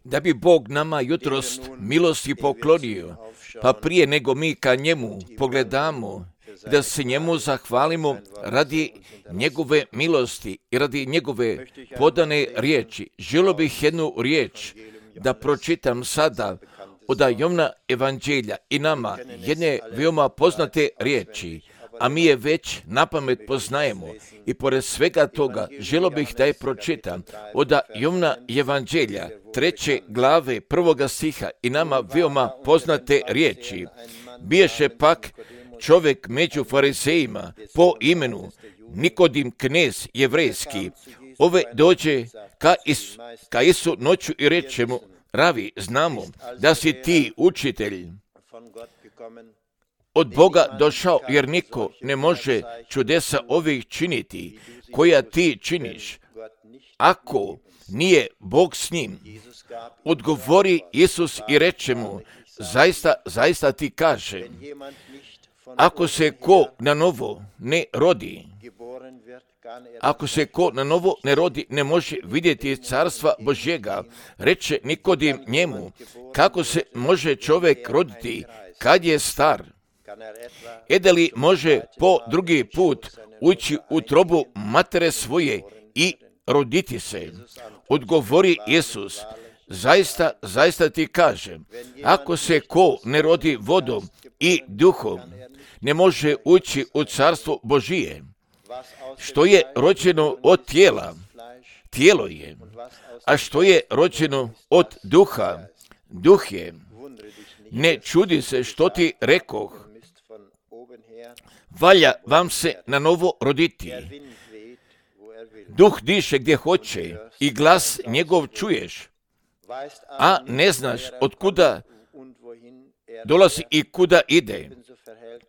Da bi Bog nama jutros milosti poklonio, pa prije nego mi ka njemu pogledamo, da se njemu zahvalimo radi njegove milosti i radi njegove podane riječi. Želio bih jednu riječ da pročitam sada od Jovana evanđelja i nama jedne veoma poznate riječi, a mi je već napamet poznajemo. I pored svega toga želio bih da je pročitam od Jovana evanđelja 3. glave 1. stiha i nama veoma poznate riječi. Biješe pak čovjek među farizejima po imenu Nikodim, knez jevrejski. Ove dođe ka Isu noću i reče mu: Ravi, znamo da si ti učitelj od Boga došao, jer niko ne može čudesa ovih činiti koja ti činiš, ako nije Bog s njim. Odgovori Isus i reče mu: Zaista ti kažem, ako se ko na novo ne rodi, ne može vidjeti carstva Božjega. Reče Nikodim njemu: kako se može čovjek roditi kad je star? Da li može po drugi put ući u trobu matere svoje i roditi se? Odgovori Isus: Zaista ti kažem, ako se ko ne rodi vodom i duhom, ne može ući u carstvo Božije. Što je rođeno od tijela, tijelo je, a što je rođeno od duha, duh je. Ne čudi se što ti rekoh, valja vam se na novo roditi. Duh diše gdje hoće i glas njegov čuješ, a ne znaš od kuda dolazi i kuda ide.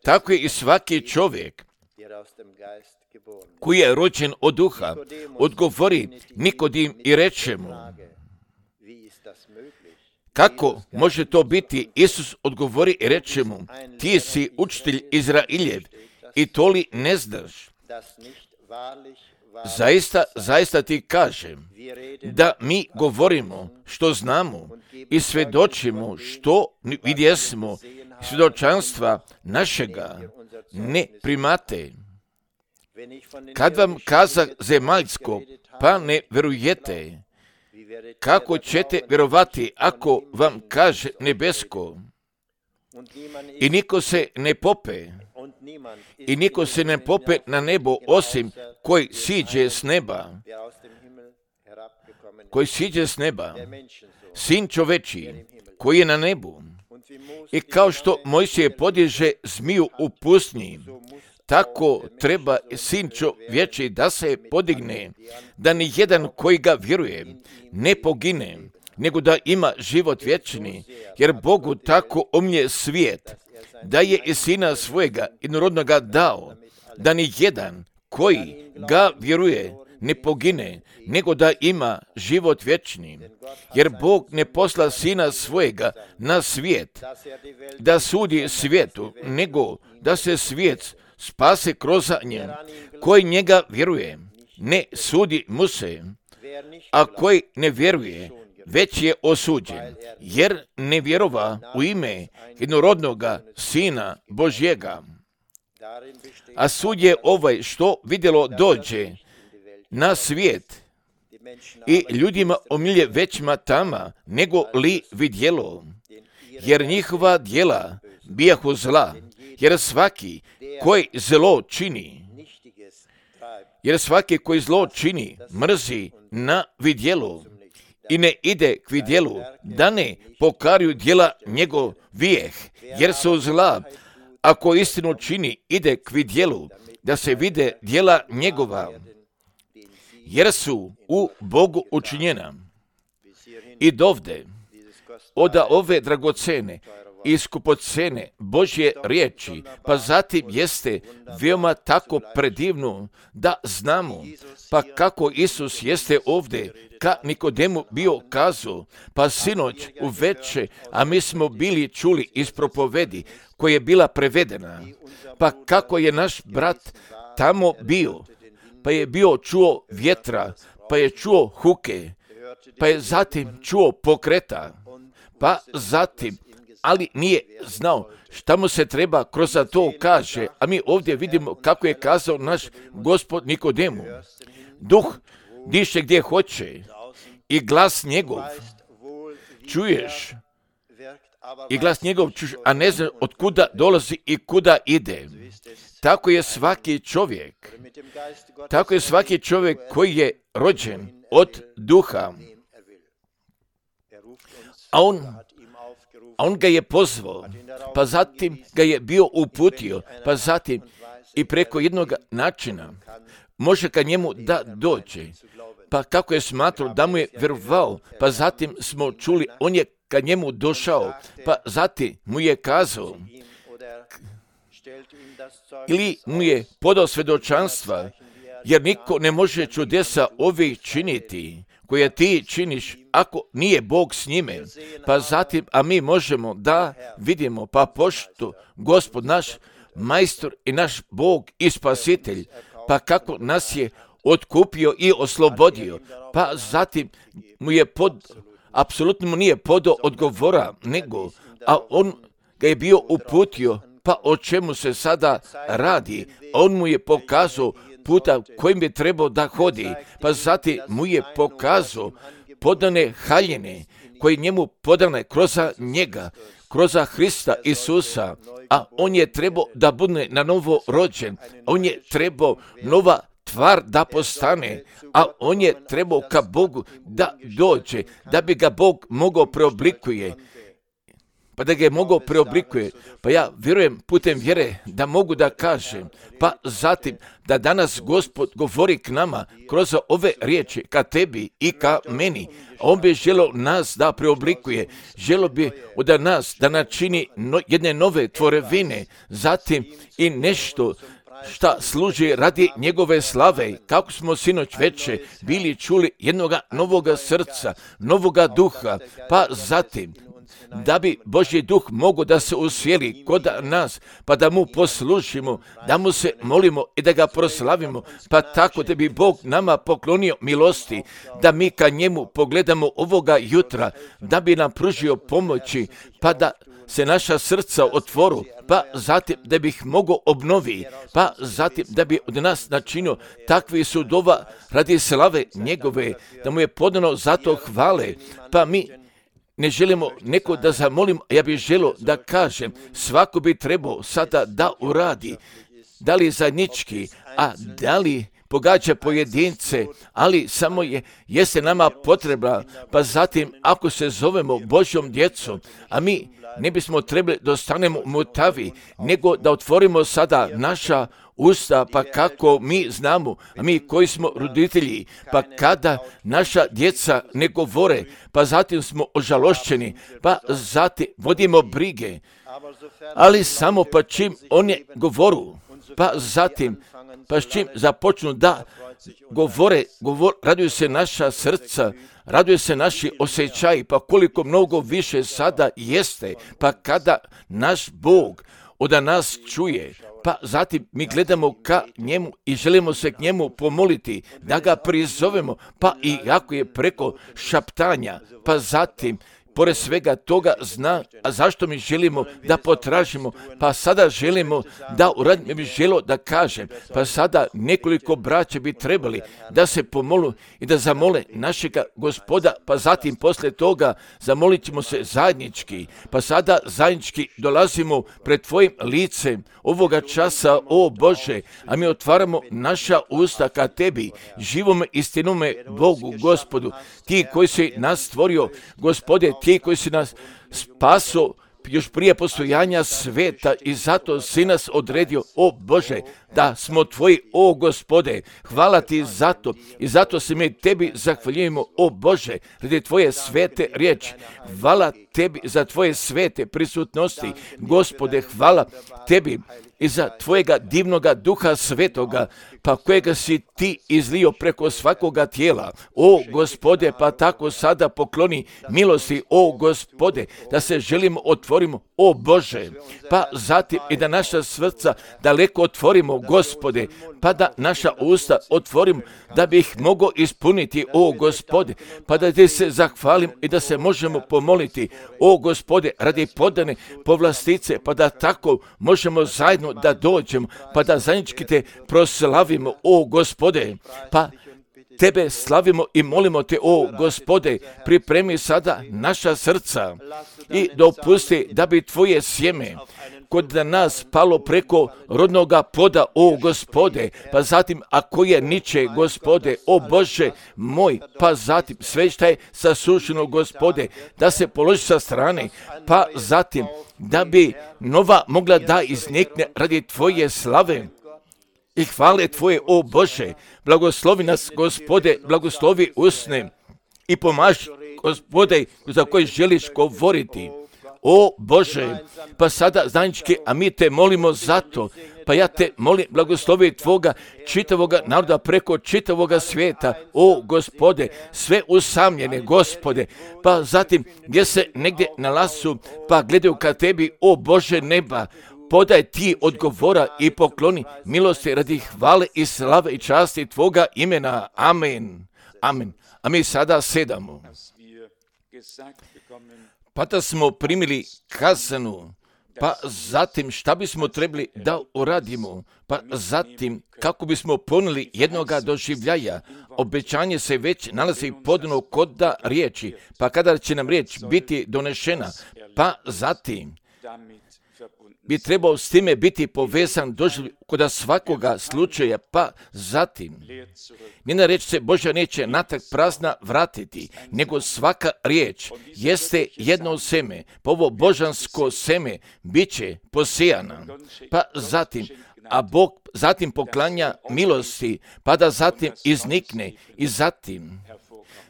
Tako je i svaki čovjek koji je rođen od duha. Odgovori Nikodim i reče mu: kako može to biti? Isus odgovori i reče mu: ti si učitelj Izrailjev i to li ne znaš? Zaista ti kažem da mi govorimo što znamo i svjedočimo što vidjesmo, svjedočanstva našega ne primate. Kad vam kazah zemaljsko, pa ne verujete, kako ćete vjerovati ako vam kaže nebesko? I niko se ne pope na nebo osim koji siđe s neba, sin čovečiji koji je na nebu. I kao što Mojsije podiže zmiju u pustinji, tako treba sin čovječiji da se podigne, da ni jedan koji ga vjeruje ne pogine, nego da ima život vječni, jer Bogu tako omlje svijet, da je i sina svojega jednorodnoga dao, da ni jedan koji ga vjeruje ne pogine, nego da ima život vječni. Jer Bog ne posla sina svojega na svijet, da sudi svijetu, nego da se svijet spase kroz njem. Koji njega vjeruje, ne sudi mu se, a koji ne vjeruje, već je osuđen, jer ne vjerova u ime jednorodnoga Sina Božjega. A sud je ovaj što vidjelo dođe na svijet i ljudima omilje većma tama nego li vidjelo, jer njihova djela bijahu zla, jer svaki koji zlo čini, mrzi na vidjelu i ne ide k vidjelu, da ne pokaruju djela njegovijeh, jer su zla. Ako istinu čini, ide k vidjelu, da se vide djela njegova, jer su u Bogu učinjena. I dovde, od ove dragocene i skupocene Božje riječi, pa zatim jeste veoma tako predivno da znamo, pa kako Isus jeste ovdje ka Nikodemu bio kazao, pa sinoć uveče, a mi smo bili čuli iz propovedi koja je bila prevedena, pa kako je naš brat tamo bio, pa je bio čuo vjetra, pa je čuo huke, pa je zatim čuo pokreta, pa zatim, ali nije znao šta mu se treba kroz to kaže, a mi ovdje vidimo kako je kazao naš Gospod Nikodemu. Duh diše gdje hoće i glas njegov čuješ, i glas njegov čuješ, a ne znaš od kuda dolazi i kuda ide. Tako je svaki čovjek koji je rođen od duha, a on ga je pozvao, pa zatim ga je bio uputio, pa zatim i preko jednog načina može ka njemu da dođe. Pa kako je smatrao da mu je vjerovao, pa zatim smo čuli, on je ka njemu došao, pa zatim mu je kazao, ili mu je podao svjedočanstva, jer niko ne može čudesa ovih činiti, koje ti činiš, ako nije Bog s njime. Pa zatim, a mi možemo da vidimo, pa pošto Gospod naš majstor i naš Bog i spasitelj, pa kako nas je otkupio i oslobodio, pa zatim mu je apsolutno mu nije podao odgovora, nego, a on ga je bio uputio, pa o čemu se sada radi, on mu je pokazao puta kojim bi trebao da hodi, pa zatim mu je pokazao podane haljine koje njemu podane kroz njega, kroz Hrista Isusa, a on je trebao da bude na novo rođen, on je trebao nova tvar da postane, a on je trebao ka Bogu da dođe, da bi ga Bog mogao preoblikuje. Pa da ga je mogao preoblikuje, pa ja vjerujem putem vjere da mogu da kažem, pa zatim da danas Gospod govori k nama kroz ove riječi, ka tebi i ka meni. On bi želio nas da preoblikuje, želio bi od nas da načini jedne nove tvorevine, zatim i nešto šta služi radi njegove slave, kako smo sinoć veče bili čuli jednoga novoga srca, novoga duha, pa zatim da bi Božji duh mogao da se usjeli kod nas, pa da mu poslužimo, da mu se molimo i da ga proslavimo, pa tako da bi Bog nama poklonio milosti, da mi ka njemu pogledamo ovoga jutra, da bi nam pružio pomoći, pa da se naša srca otvoru, pa zatim da bi ih mogao obnovi, pa zatim da bi od nas načinio takvi sudova radi slave njegove, da mu je podano zato hvale, pa mi ne želimo neko da zamolimo, ja bih želio da kažem, svako bi trebao sada da uradi, da li zajednički, a da li pogađa pojedince, ali samo jeste nama potrebna, pa zatim ako se zovemo Božjom djecom, a mi ne bismo trebali da ostanemo mutavi, nego da otvorimo sada naša usta, pa kako mi znamo, a mi koji smo roditelji, pa kada naša djeca ne govore, pa zatim smo ožalošćeni, pa zatim vodimo brige, ali samo pa čim oni govoru, pa zatim, pa s čim započnu da govore, raduju se naša srca, raduje se naši osjećaji, pa koliko mnogo više sada jeste, pa kada naš Bog od nas čuje, pa zatim mi gledamo ka njemu i želimo se k njemu pomoliti, da ga prizovemo, pa i ako je preko šaptanja, pa zatim pored svega toga zna, a zašto mi želimo da potražimo, pa sada želimo da uradimo, ja bih želio da kažem, pa sada nekoliko braća bi trebali da se pomolu i da zamole našega Gospoda, pa zatim poslije toga zamolit ćemo se zajednički, pa sada zajednički dolazimo pred tvojim licem ovoga časa, o Bože, a mi otvaramo naša usta ka tebi, živome istinome Bogu, Gospodu, ti koji si nas stvorio, Gospode, ti koji si nas spaso još prije postojanja sveta i zato si nas odredio, o Bože, da smo tvoji, o Gospode, hvala ti zato i zato se mi tebi zahvaljujemo, o Bože, radi tvoje svete riječi, hvala tebi za tvoje svete prisutnosti, Gospode, hvala tebi i za tvojega divnoga Duha Svetoga, pa kojega si ti izlio preko svakoga tijela. O Gospode, pa tako sada pokloni milosti, o Gospode, da se želimo otvorimo, o Bože, pa zatim i da naša srca daleko otvorimo, Gospode, pa da naša usta otvorimo, da bi ih mogao ispuniti, o Gospode, pa da ti se zahvalim i da se možemo pomoliti, o Gospode, radi podane povlastice, pa da tako možemo zajedno da dođemo, pa da zajednički te proslavimo, o Gospode, pa Tebe slavimo i molimo Te, o Gospode, pripremi sada naša srca i dopusti da bi Tvoje sjeme kod nas palo preko rodnoga poda, o Gospode, pa zatim ako je niče, Gospode, o Bože moj, pa zatim sve što je sasušeno, Gospode, da se položi sa strane, pa zatim da bi nova mogla da iznikne radi Tvoje slave i hvale Tvoje, o Bože. Blagoslovi nas, Gospode, blagoslovi usne i pomaži, Gospode, za koji želiš govoriti. O Bože, pa sada zajednički, a mi Te molimo za to, pa ja Te molim, blagoslovi Tvoga čitavoga naroda preko čitavoga svijeta, o Gospode, sve usamljene, Gospode, pa zatim gdje se negdje nalazu, pa gledaju ka Tebi, o Bože neba, podaj Ti odgovora i pokloni milosti radi hvale i slave i časti Tvoga imena. Amen. Amen. A mi sada sedamo. Pa da smo primili kazanu, pa zatim šta bismo trebali da uradimo, pa zatim kako bismo ponuli jednoga doživljaja. Obećanje se već nalazi podano kod riječi, pa kada će nam riječ biti donešena, pa zatim bi trebao s time biti povezan kod svakoga slučaja, pa zatim njena riječ se Božja neće natrag prazna vratiti, nego svaka riječ jeste jedno seme, pa ovo božansko seme bit će posijana, pa zatim, a Bog zatim poklanja milosti, pa da zatim iznikne i zatim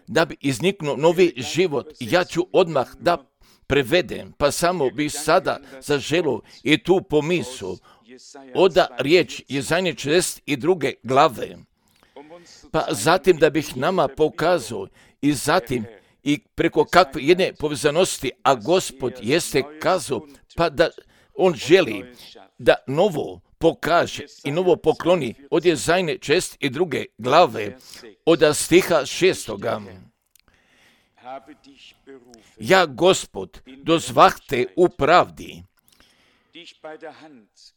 da bi izniknuo novi život. Ja ću odmah da prevedem, pa samo bih sada zaželio i tu pomisao oda riječ Jezajne 42. glave, pa zatim da bih nama pokazao i zatim i preko kakve jedne povezanosti, a Gospod jeste kazao, pa da On želi da novo pokaže i novo pokloni od Jezajne 42. glave, od stiha 6. Ja, Gospod, dozvah te u pravdi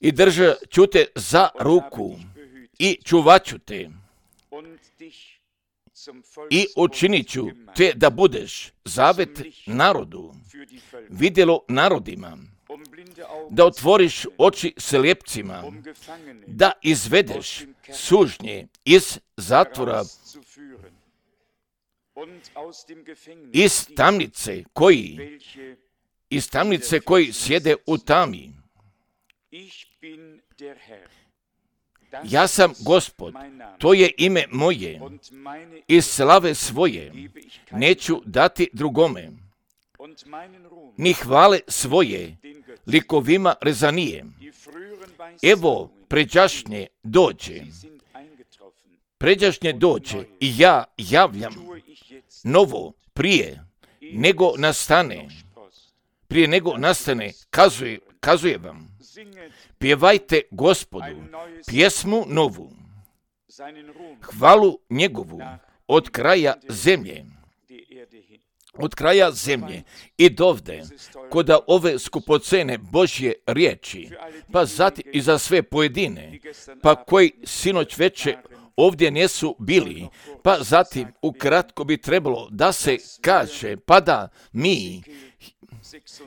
i držat ću te za ruku i čuvat ću te i učinit ću te da budeš zavet narodu, vidjelo narodima, da otvoriš oči slijepcima, da izvedeš sužnje iz zatvora, iz tamnice koji sjede u tami. Ja sam Gospod, to je ime moje, i slave svoje neću dati drugome, ni hvale svoje likovima rezanije. Evo, pređašnje dođe i ja javljam novo prije nego nastane, kazuje vam. Pjevajte Gospodu pjesmu novu, hvalu njegovu od kraja zemlje i dovde kod ove skupocene Božje riječi, pa zatim i za sve pojedine, pa koji sinoć veče ovdje nisu bili, pa zatim ukratko bi trebalo da se kaže, pa da mi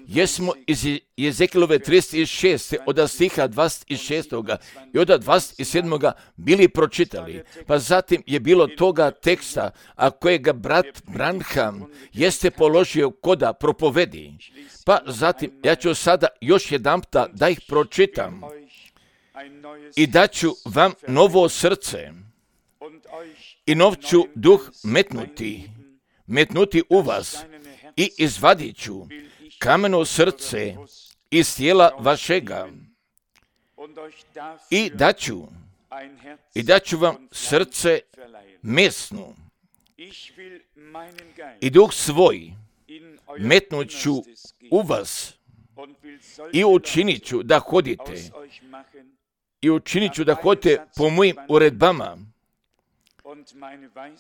jesmo iz Jezekilove 36. od stiha 26. i od 27. bili pročitali, pa zatim je bilo toga teksta, a kojega brat Branham jeste položio koda propovedi, pa zatim ja ću sada još jedanputa da ih pročitam i daću vam novo srce i nov ću duh metnuti u vas i izvadit ću kameno srce iz tijela vašega i daću vam srce mesno i duh svoj metnut ću u vas i učinit ću da hodite po mojim uredbama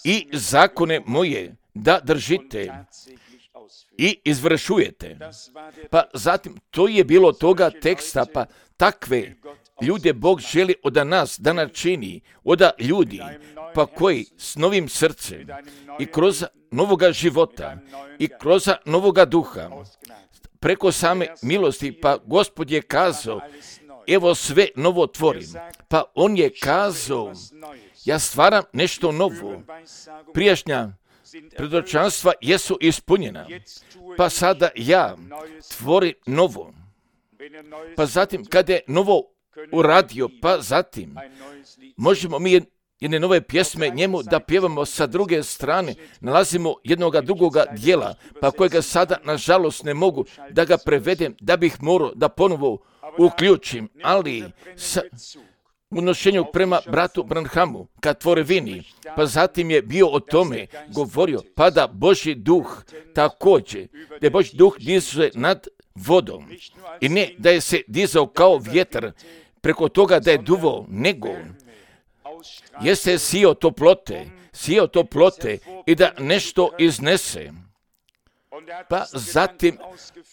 i zakone moje da držite i izvršujete. Pa zatim, to je bilo toga teksta, pa takve ljude Bog želi od nas da načini, od ljudi, pa koji s novim srcem i kroz novoga života i kroz novoga duha, preko same milosti, pa Gospod je kazao, evo sve novo tvorim. Pa on je kazao, ja stvaram nešto novo. Prijašnja predočanstva jesu ispunjena, pa sada ja tvorim novo. Pa zatim, kada je novo uradio, pa zatim možemo mi jedne nove pjesme njemu da pjevamo. Sa druge strane nalazimo jednoga drugoga dijela, pa kojega sada nažalost ne mogu da ga prevedem, da bih morao da ponovo uključim, ali sa unošenju prema bratu Branhamu ka tvorevini, pa zatim je bio o tome govorio, pa da Božji duh također, da je Božji duh diže nad vodom i ne da je se dizao kao vjetar preko toga da je duvao, nego jeste sijao toplote i da nešto iznese. Pa zatim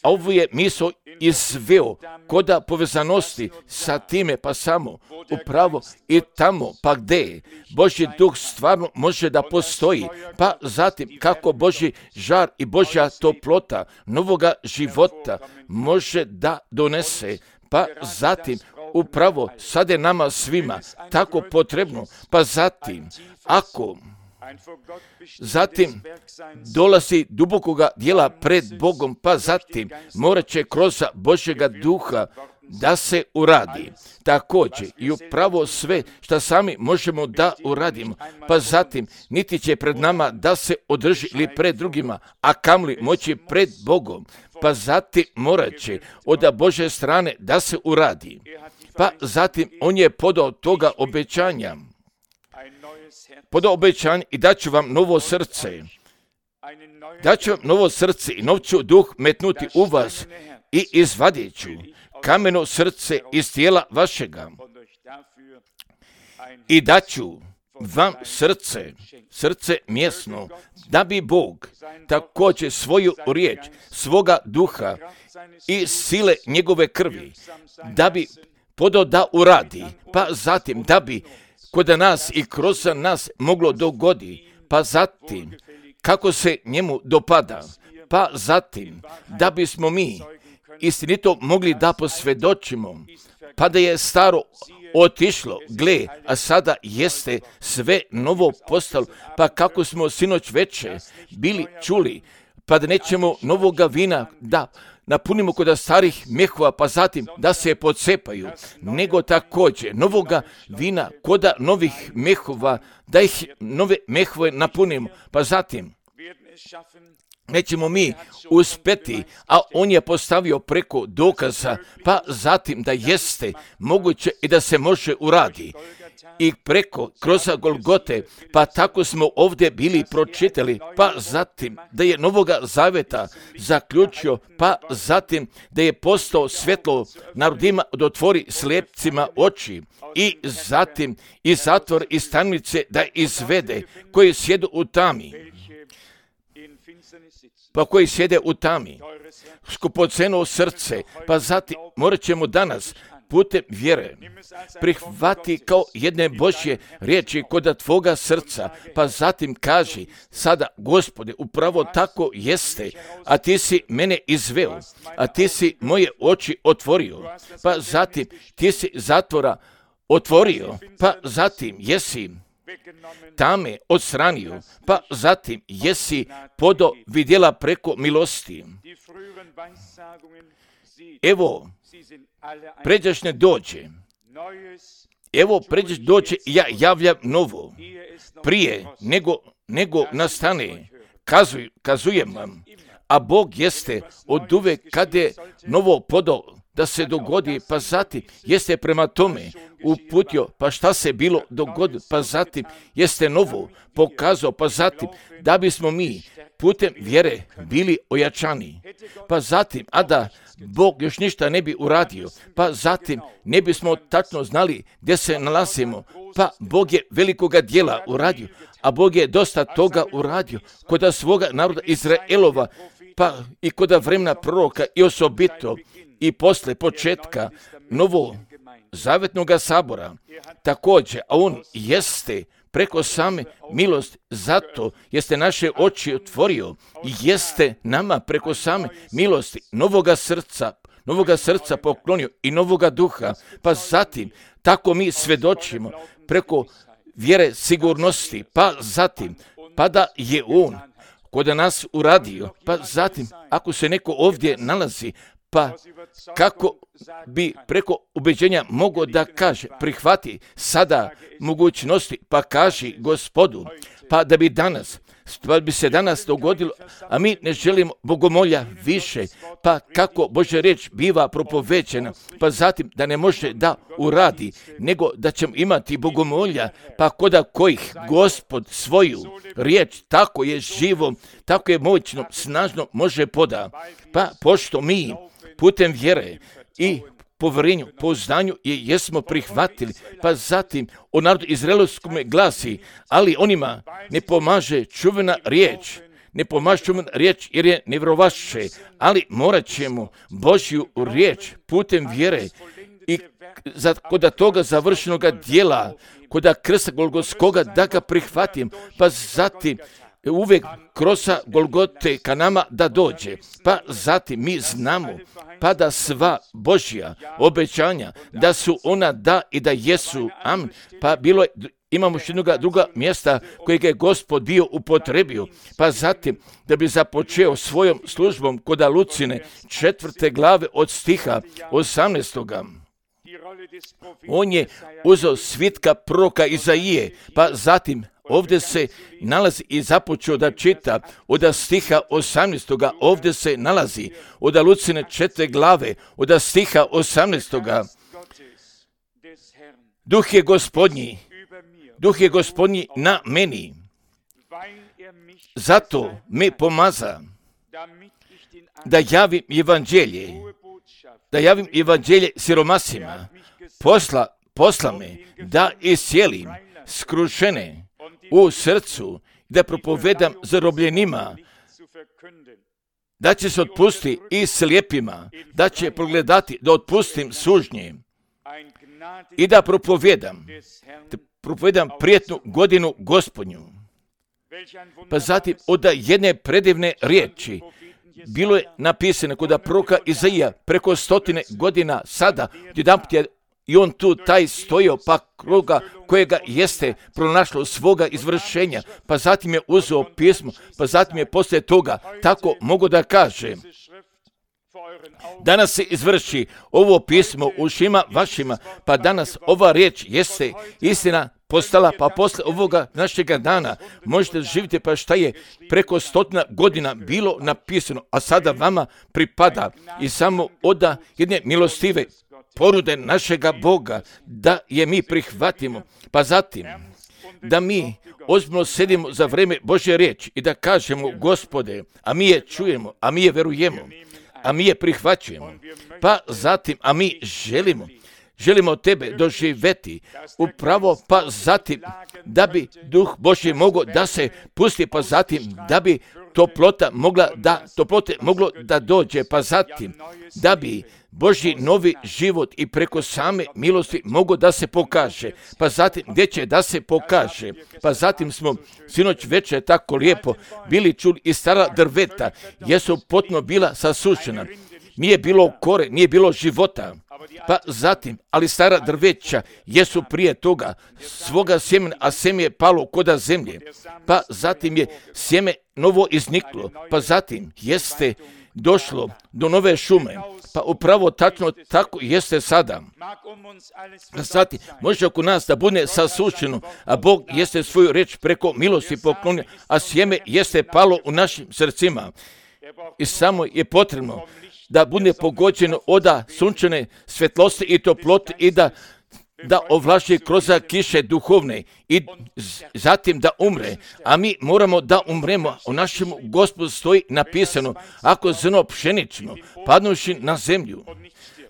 ovo je misao izveo koda povezanosti sa time, pa samo upravo i tamo, pa gdje Božji duh stvarno može da postoji, pa zatim kako Božji žar i Božja toplota novoga života može da donese, pa zatim upravo sad je nama svima tako potrebno, pa zatim ako zatim dolazi dubokoga dijela pred Bogom, pa zatim morat će kroz Božjega duha da se uradi. Također i upravo sve što sami možemo da uradimo, pa zatim niti će pred nama da se održi ili pred drugima, a kamli moći pred Bogom, pa zatim morat će od Božje strane da se uradi. Pa zatim on je podao toga obećanja, i daću vam novo srce. Daću vam novo srce i nov ću duh metnuti u vas i izvadit ću kameno srce iz tijela vašega. I daću vam srce mjesno, da bi Bog također svoju riječ, svoga duha i sile njegove krvi, da bi podao da uradi, pa zatim da bi kod nas i kroz nas moglo dogodi, pa zatim kako se njemu dopada, pa zatim da bismo mi istinito mogli da posvjedočimo, pa da je staro otišlo, gle, a sada jeste sve novo postalo, pa kako smo sinoć veče bili čuli, pa da nećemo novoga vina da napunimo kod starih mehova, pa zatim da se pocepaju, nego također novoga vina kod novih mehova, da ih nove mehove napunimo, pa zatim nećemo mi uspjeti, a on je postavio preko dokaza, pa zatim da jeste moguće i da se može uradi. I kroz Golgote, pa tako smo ovdje bili pročitali, pa zatim da je Novoga Zaveta zaključio, pa zatim da je postao svjetlo narodima da otvori slijepcima oči i zatim i zatvor iz tamnice da izvede koji sjedu u tami. Pa koji sjede u tami, skupoceno srce, pa zatim morat ćemo danas putem vjere prihvati kao jedne Božje riječi kod tvoga srca, pa zatim kaži sada, Gospode, upravo tako jeste, a ti si mene izveo, a ti si moje oči otvorio, pa zatim ti si zatvora otvorio, pa zatim jesi tame odstranio, pa zatim jesi podo vidjela preko milosti. Evo, pređašnje dođe. Evo, pređašnje dođe, ja javljam novo. Prije nego nastane, kazujem vam. A Bog jeste od uvek kad je novo podo da se dogodi, pa zatim jeste prema tome uputio, pa šta se bilo dogodilo, pa zatim jeste novo pokazao, pa zatim da bismo mi putem vjere bili ojačani, pa zatim, a da Bog još ništa ne bi uradio, pa zatim ne bismo tačno znali gdje se nalazimo, pa Bog je velikoga djela uradio, a Bog je dosta toga uradio kod svoga naroda Izraelova, pa i kod vremena proroka i osobito i posle početka novo zavetnog sabora. Također, a on jeste preko same milosti, zato jeste naše oči otvorio i jeste nama preko same milosti novoga srca poklonio i novoga duha, pa zatim tako mi svedočimo preko vjere sigurnosti, pa zatim pa da je on kod nas uradio, pa zatim ako se neko ovdje nalazi, pa kako bi preko ubeđenja mogao da kaže, prihvati sada mogućnosti, pa kaži Gospodu, pa da bi se danas dogodilo, a mi ne želimo bogomolja više, pa kako Božja riječ biva propovećena, pa zatim da ne može da uradi, nego da ćemo imati bogomolja, pa koda kojih Gospod svoju riječ, tako je živom, tako je moćno, snažno može poda, pa pošto mi putem vjere i povjerenju, poznanju jesmo prihvatili, pa zatim o narodu izraelskom glasi, ali onima ne pomaže čuvena riječ jer je nevjerovaše, ali morat ćemo Božju riječ putem vjere i kod toga završenoga dijela, kod krsta Golgotskoga da ga prihvatim, pa zatim uvijek kroz Golgote ka nama da dođe, pa zatim mi znamo pa da sva Božja obećanja da su ona da i da jesu, amen, pa imamo još jednoga druga mjesta kojeg je Gospod bio upotrebio, pa zatim da bi započeo svojom službom kod Lucine 4. glave od stiha 18. On je uzeo svitka proroka Izaije, pa zatim ovdje se nalazi i započeo da čita od stiha 18. Ovdje se nalazi od Lucine 4. glave od stiha 18. Duh je gospodnji na meni, zato me pomaza da javim evanđelje siromasima, posla me da iscijelim skrušene u srcu, da propovedam zarobljenima, da će se otpustiti i slijepima, da će progledati da otpustim sužnje i da propovedam prijetnu godinu Gospodnju. Pa zatim od jedne predivne riječi bilo je napisano kod proroka Izaija preko 100 godina sada, jedanput je i on tu taj stojio, pa kruga kojega jeste pronašlo svoga izvršenja, pa zatim je uzeo pismo, pa zatim je poslije toga, tako mogu da kažem, danas se izvrši ovo pismo u ušima vašima, pa danas ova riječ jeste istina postala, pa posle ovoga našega dana možete živjeti pa šta je preko 100 godina bilo napisano, a sada vama pripada i samo od jedne milostive porude našega Boga, da je mi prihvatimo, pa zatim da mi ozbiljno sedimo za vrijeme Božje riječi i da kažemo, Gospode, a mi je čujemo, a mi je verujemo, a mi je prihvaćujemo, pa zatim, a mi želimo tebe doživjeti upravo, pa zatim da bi Duh Božji mogao da se pusti, pa zatim da bi toplote moglo da dođe, pa zatim da bi Božji novi život i preko same milosti mogo da se pokaže, pa zatim gdje će da se pokaže, pa zatim smo sinoć večer tako lijepo bili čuli i stara drveta, jesu potpuno bila sasušena, nije bilo kore, nije bilo života, pa zatim, ali stara drveća jesu prije toga svoga sjemena, a sjeme je palo koda zemlje, pa zatim je sjeme novo izniklo, pa zatim jeste došlo do nove šume, pa upravo tačno tako jeste sada. Zatim, može oko nas da bude sasušeno, a Bog jeste svoju reč preko milosti poklonio, a sjeme jeste palo u našim srcima. I samo je potrebno da bude pogođeno od sunčane svjetlosti i toplote i da ovlaži kroz kiše duhovne i zatim da umre, a mi moramo da umremo. U našem Gospodu stoji napisano, ako zrno pšenično padnuši na zemlju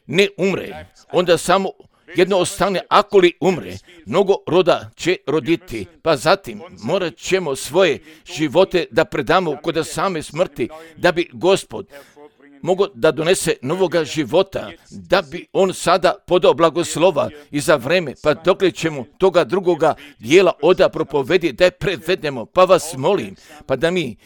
ne umre, onda samo jedno ostane, ako li umre, mnogo roda će roditi, pa zatim morat ćemo svoje živote da predamo kod same smrti, da bi Gospod mogo da donese novoga života, da bi on sada podao blagoslova i za vreme, pa dokle ćemo toga drugoga dijela oda propovedi da je prevedemo, pa vas molim, pa da mi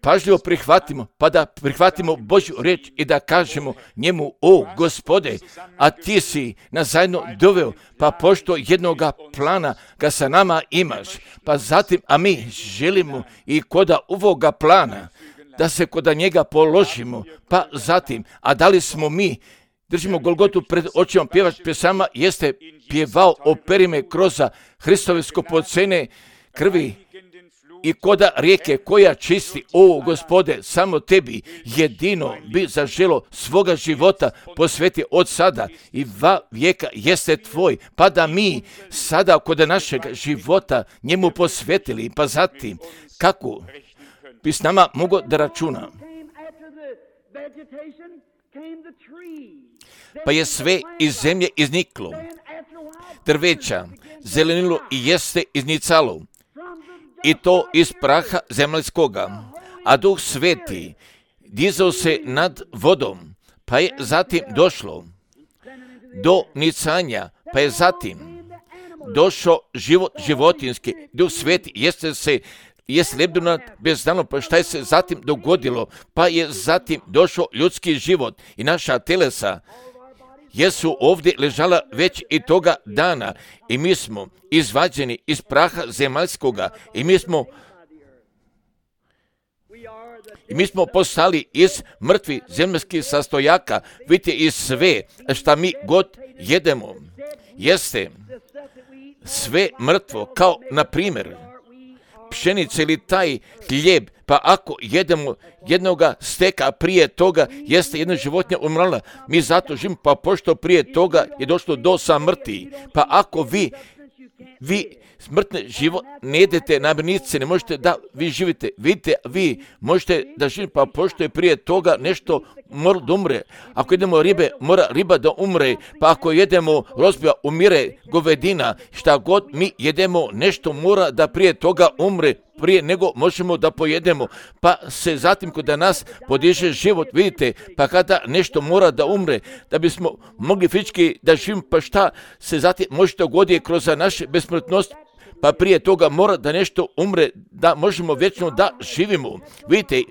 pažljivo prihvatimo, pa da prihvatimo Božju riječ i da kažemo njemu, o Gospode, a ti si nas zajedno doveo, pa pošto jednoga plana ga sa nama imaš, pa zatim, a mi želimo i koda ovoga plana, da se koda njega položimo, pa zatim, a da li smo mi, držimo Golgotu pred očima, pjevač pjesama jeste pjevao operi me kroz Hristove skupocene krvi i koda rijeke koja čisti, o Gospode, samo tebi jedino bi zaželo svoga života posveti od sada i va vijeka jeste tvoj, pa da mi sada kod našeg života njemu posvetili, pa zatim kako bi s nama mogao da računa. Pa je sve iz zemlje izniklo, drveća, zelenilo i jeste iznicalo, i to iz praha zemaljskoga, a Duh Sveti dizao se nad vodom, pa je zatim došlo do nicanja, pa je zatim došao život životinski, Duh Sveti jest lebdeno bezdano, pa šta je se zatim dogodilo, pa je zatim došao ljudski život i naša telesa jesu ovdje ležala već i toga dana i mi smo izvađeni iz praha zemaljskoga i mi smo postali iz mrtvi zemaljskih sastojaka, vidite, i sve šta mi god jedemo jeste sve mrtvo, kao na primjer pšenice ili taj hljeb, pa ako jedemo jednoga steka prije toga jeste jedna životinja umrla, mi zato živimo, pa pošto prije toga je došlo do samrti, pa ako vi smrtne život ne jedete namirnice, ne možete da vi živite, vidite, vi možete da živite, pa pošto je prije toga nešto mora da umre, ako jedemo ribe, mora riba da umre, pa ako jedemo rozbija, umire govedina, šta god mi jedemo, nešto mora da prije toga umre, prije nego možemo da pojedemo, pa se zatim kod nas podiže život, vidite, pa kada nešto mora da umre, da bismo mogli fizički da živimo, pa šta se zatim može dogoditi kroz našu besmrtnost, pa prije toga mora da nešto umre, da možemo vječno da živimo, vidite,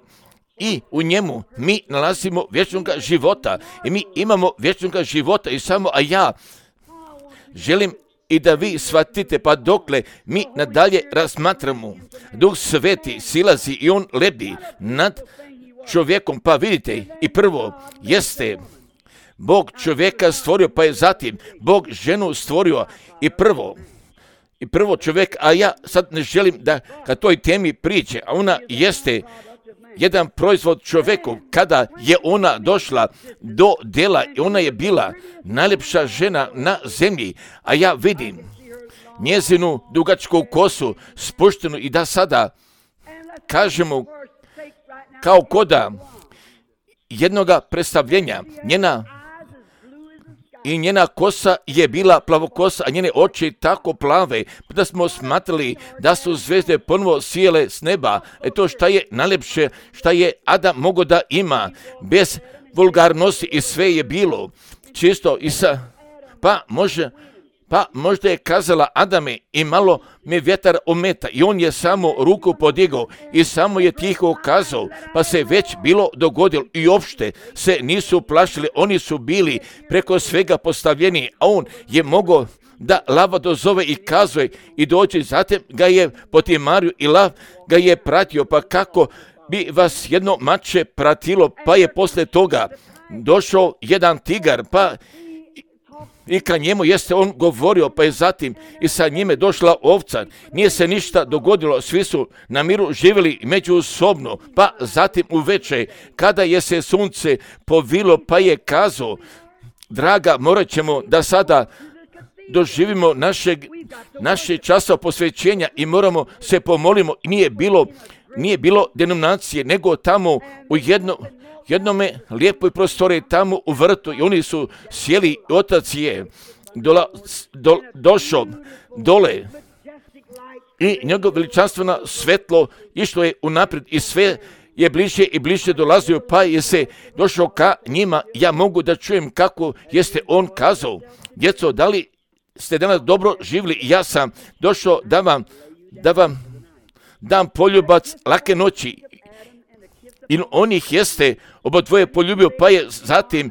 i u njemu mi nalazimo vječnog života i mi imamo vječnog života i samo, a ja želim i da vi shvatite, pa dokle mi nadalje razmatramo, Duh Sveti silazi i on lebdi nad čovjekom, pa vidite, i prvo jeste Bog čovjeka stvorio, pa je zatim Bog ženu stvorio i prvo čovjek, a ja sad ne želim da ka toj temi priče, a ona jeste jedan proizvod čovjeku, kada je ona došla do dela i ona je bila najljepša žena na zemlji, a ja vidim njezinu dugačku kosu spuštenu i da sada kažemo kao koda jednoga predstavljenja, njena kosa je bila plavokosa, a njene oči tako plave, da smo smatrali da su zvezde ponovo sijele s neba. To šta je najljepše, šta je Adam mogao da ima, bez vulgarnosti i sve je bilo čisto i pa možda je kazala Adame i malo me vjetar ometa i on je samo ruku podigao i samo je tiho kazao, pa se već bilo dogodilo i uopšte se nisu plašili, oni su bili preko svega postavljeni, a on je mogao da lava dozove i kazuje i dođe, zatim ga je potimario i lav ga je pratio, pa kako bi vas jedno mače pratilo, pa je posle toga došao jedan tigar, i ka njemu jeste on govorio, pa je zatim i sa njime došla ovca. Nije se ništa dogodilo, svi su na miru živjeli međusobno, pa zatim uveče, kada je se sunce povilo, pa je kazao, draga, morat ćemo da sada doživimo naše časa posvećenja i moramo se pomolimo. Nije bilo denominacije, nego tamo u jednome lijepoj prostoriji, tamo u vrtu, i oni su sjeli, otac je došao dole i njegov veličanstveno svetlo išlo je unaprijed i sve je bliže i bliže dolazio, pa je se došao ka njima. Ja mogu da čujem kako jeste on kazao, djeco, da li ste danas dobro živjeli? Ja sam došao da vam dam poljubac lake noći. I on ih jeste obodvoje poljubio, pa je zatim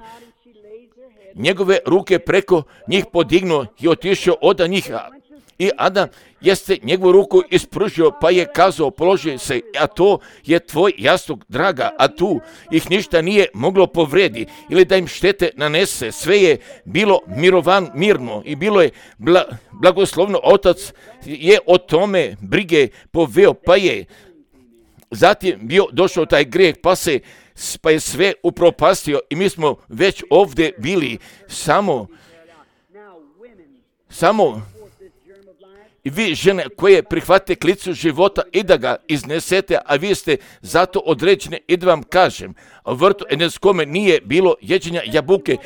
njegove ruke preko njih podignuo i otišao od njih. I Adam jeste njegovu ruku ispružio, pa je kazao, položi se, a to je tvoj jastuk, draga, a tu ih ništa nije moglo povredi ili da im štete nanese. Sve je bilo mirno i bilo je blagoslovno. Otac je o tome brige poveo, pa je zatim bio došao taj grijeh, pa je sve upropastio i mi smo već ovdje bili samo i vi žene koje prihvate klicu života i da ga iznesete, a vi ste zato određene, i da vam kažem, u vrtu Edenskome nije bilo jeđenja jabuke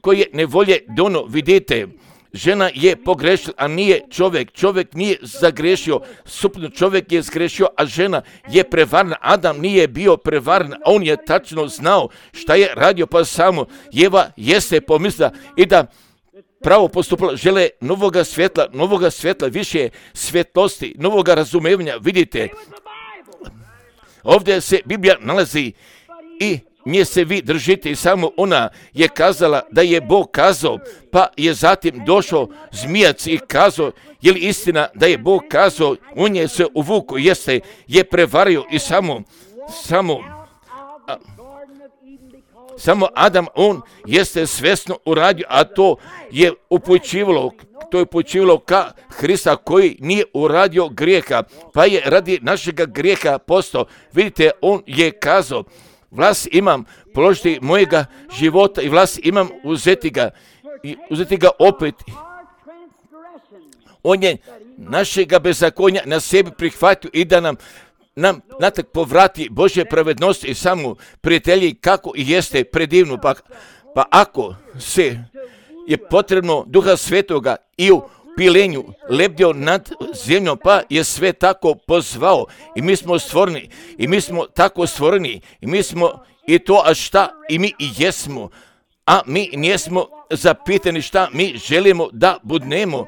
koje nevolje dono. Vidite, žena je pogrešila, a nije čovjek. Čovjek nije zagrešio, suprotno, čovjek je zgrešio, a žena je prevarna. Adam nije bio prevaran, a on je tačno znao šta je radio, pa samo Jeva jeste pomislila i da pravo postupila, žele novoga svjetla, više svjetlosti, novoga razumevanja. Vidite, ovdje se Biblija nalazi i nje se vi držite, i samo ona je kazala da je Bog kazao, pa je zatim došao zmijac i kazao, je li istina da je Bog kazao, on je se uvukao, je prevario i samo Adam, on jeste svjesno uradio, a to je upućivalo ka Hrista koji nije uradio grijeha, pa je radi našega grijeha postao. Vidite, on je kazao, vlast imam položiti mojega života i vlast imam uzeti ga opet. On je našega bezakonja na sebi prihvatio i da nam natak povrati Božje pravednosti i samo prijatelji kako i jeste predivno. Pa ako se je potrebno Duha Svetoga i u pilenju lebdio nad zemljom, pa je sve tako pozvao i mi smo stvoreni i mi smo tako stvoreni i mi smo i to, a šta i mi i jesmo, a mi nijesmo zapitani šta mi želimo da budnemo,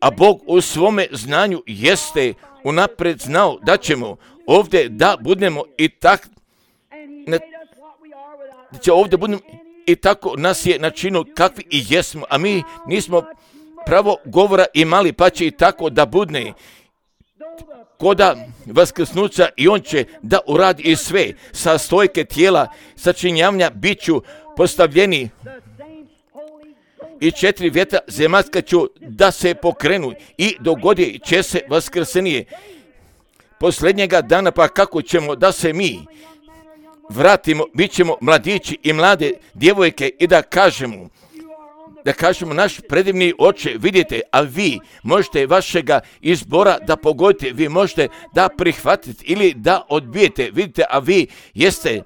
a Bog u svome znanju jeste unaprijed znao da ćemo ovdje da budemo i tak ovdje budemo i tako nas je načinio kakvi i jesmo, a mi nismo pravo govora imali, pa će i tako da budne koda vaskrsnuća i on će da uradi i sve sa stojke tijela sačinjavanja biću postavljeni i 4 vjetra zemaljska ću da se pokrenu i dogodi će se vaskrsenije posljednjega dana. Pa kako ćemo da se mi vratimo, bit ćemo mladići i mlade djevojke i da kažemo naš predivni oče, vidite, a vi možete vašega izbora da pogodite, vi možete da prihvatite ili da odbijete, vidite, a vi jeste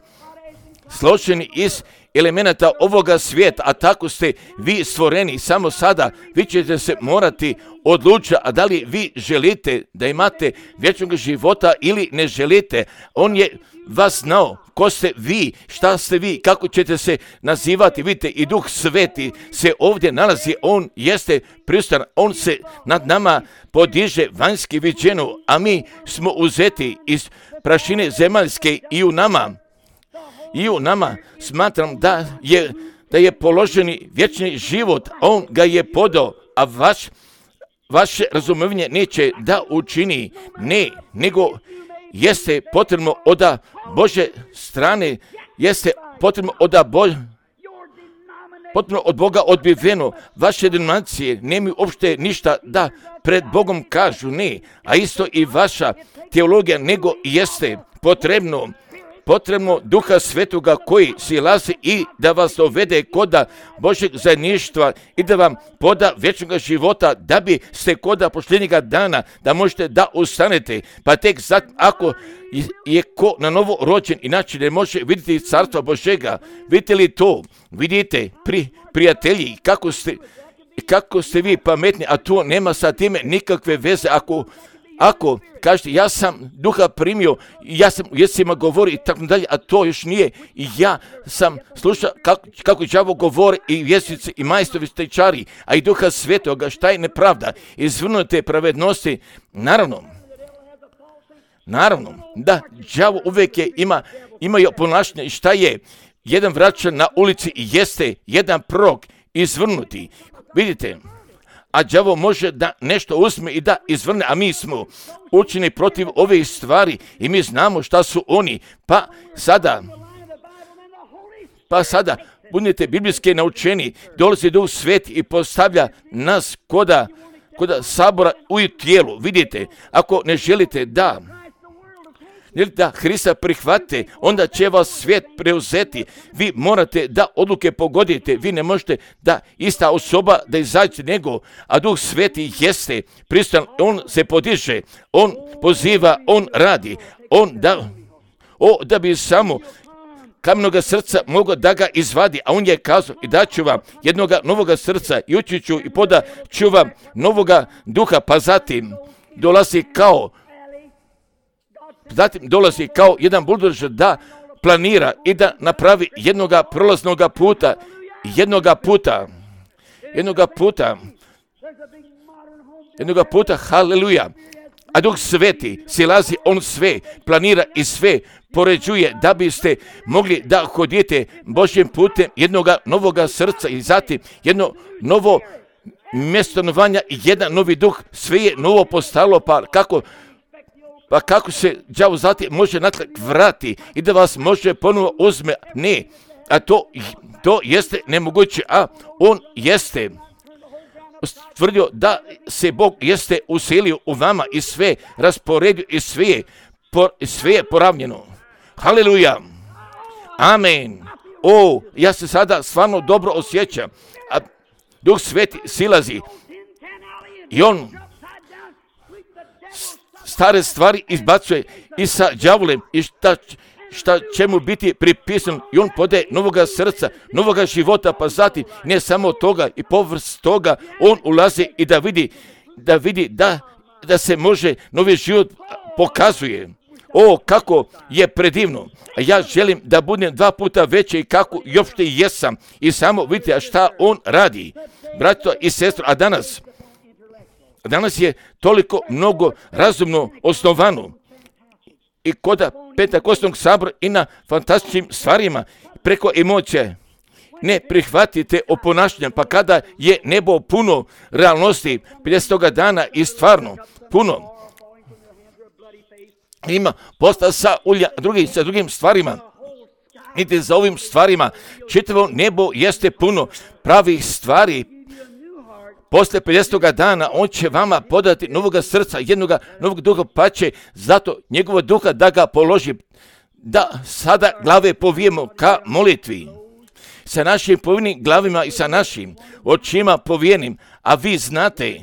složeni iz elemenata ovoga svijeta, a tako ste vi stvoreni. Samo sada vi ćete se morati odlučiti, a da li vi želite da imate vječnog života ili ne želite. On je vas znao, ko ste vi, šta ste vi, kako ćete se nazivati. Vidite, i Duh Sveti se ovdje nalazi, on jeste prisutan, on se nad nama podiže vanjski viđeno, a mi smo uzeti iz prašine zemaljske i u nama smatram da je položeni vječni život, on ga je podao, a vaše razumevanje neće da učini, nego jeste potrebno od Bože strane, jeste potrebno od potpuno od Boga odbiveno. Vaše denominacije nemaju uopšte ništa da pred Bogom kažu, ne. A isto i vaša teologija, nego jeste potrebno Duha Svetoga koji silazi i da vas dovede koda Božeg zajedništva i da vam poda vječnog života, da bi ste koda posljednjega dana, da možete da ustanete. Pa tek sad, ako je ko na novo rođen, inače ne može vidjeti carstva Božega. Vidite li to? Vidite, prijatelji, kako ste vi pametni, a to nema sa time nikakve veze. Ako kažete, ja sam Duha primio, ja sam u jezicima govori i tako dalje, a to još nije. I ja sam slušao kako đavo govori i jezici i majstori stečari, a i Duha Svetoga, šta je nepravda, izvrnute pravednosti. Naravno, da đavo uvijek imaju ponašanje. Šta je? Jedan vraća na ulici jeste jedan prorok izvrnuti. Vidite, a đavo može da nešto uzme i da izvrne, a mi smo učeni protiv ove stvari i mi znamo šta su oni. Pa sada budite biblijski naučeni, dolazi Duh Sveti i postavlja nas koda sabora u tijelu. Vidite, ako ne želite da Hrista prihvate, onda će vas svijet preuzeti. Vi morate da odluke pogodite. Vi ne možete da ista osoba da izađe nego, a Duh Sveti jeste pristojan. On se podiže, on poziva, on radi. Da bi samo kamenoga srca mogao da ga izvadi, a on je kazao i daću vam jednoga novoga srca i ući ću i podat ću vam novoga duha, pa zatim dolazi kao jedan buldožer da planira i da napravi jednoga prolaznoga puta, haleluja. A Duh Sveti silazi, on sve planira i sve poređuje da biste mogli da hodite Božjim putem jednoga novoga srca i zatim jedno novo mjesto stanovanja i jedan novi duh, sve je novo postalo, pa kako se đavo zatim može natrag vrati i da vas može ponovo uzme? Ne, a to jeste nemoguće, a on jeste tvrdio da se Bog jeste uselio u vama i sve rasporedio i sve je poravnjeno. Haleluja, amen. Ja se sada stvarno dobro osjećam, a Duh Sveti silazi i on stare stvari izbacuje i sa đavolem i šta će mu biti pripisan i on podaje novoga srca, novoga života, pa zatim ne samo toga i povrst toga on ulazi i da vidi da se može novi život pokazuje. Kako je predivno. A ja želim da budem 2 puta veći i kako i uopšte jesam. I samo vidite šta on radi. Brato i sestro, a danas je toliko mnogo razumno osnovano i kod Pentakostnog sabora i na fantastičnim stvarima preko emocija. Ne prihvatite oponašanja, pa kada je nebo puno realnosti 50. dana i stvarno puno ima posta sa drugim stvarima. Idite za ovim stvarima. Čitavo nebo jeste puno pravih stvari. Posle 50. dana on će vama podati novoga srca, jednoga novog duha, pa će zato njegova duha da ga položi. Da sada glave povijemo ka molitvi. Sa našim povijenim glavima i sa našim očima povijenim, a vi znate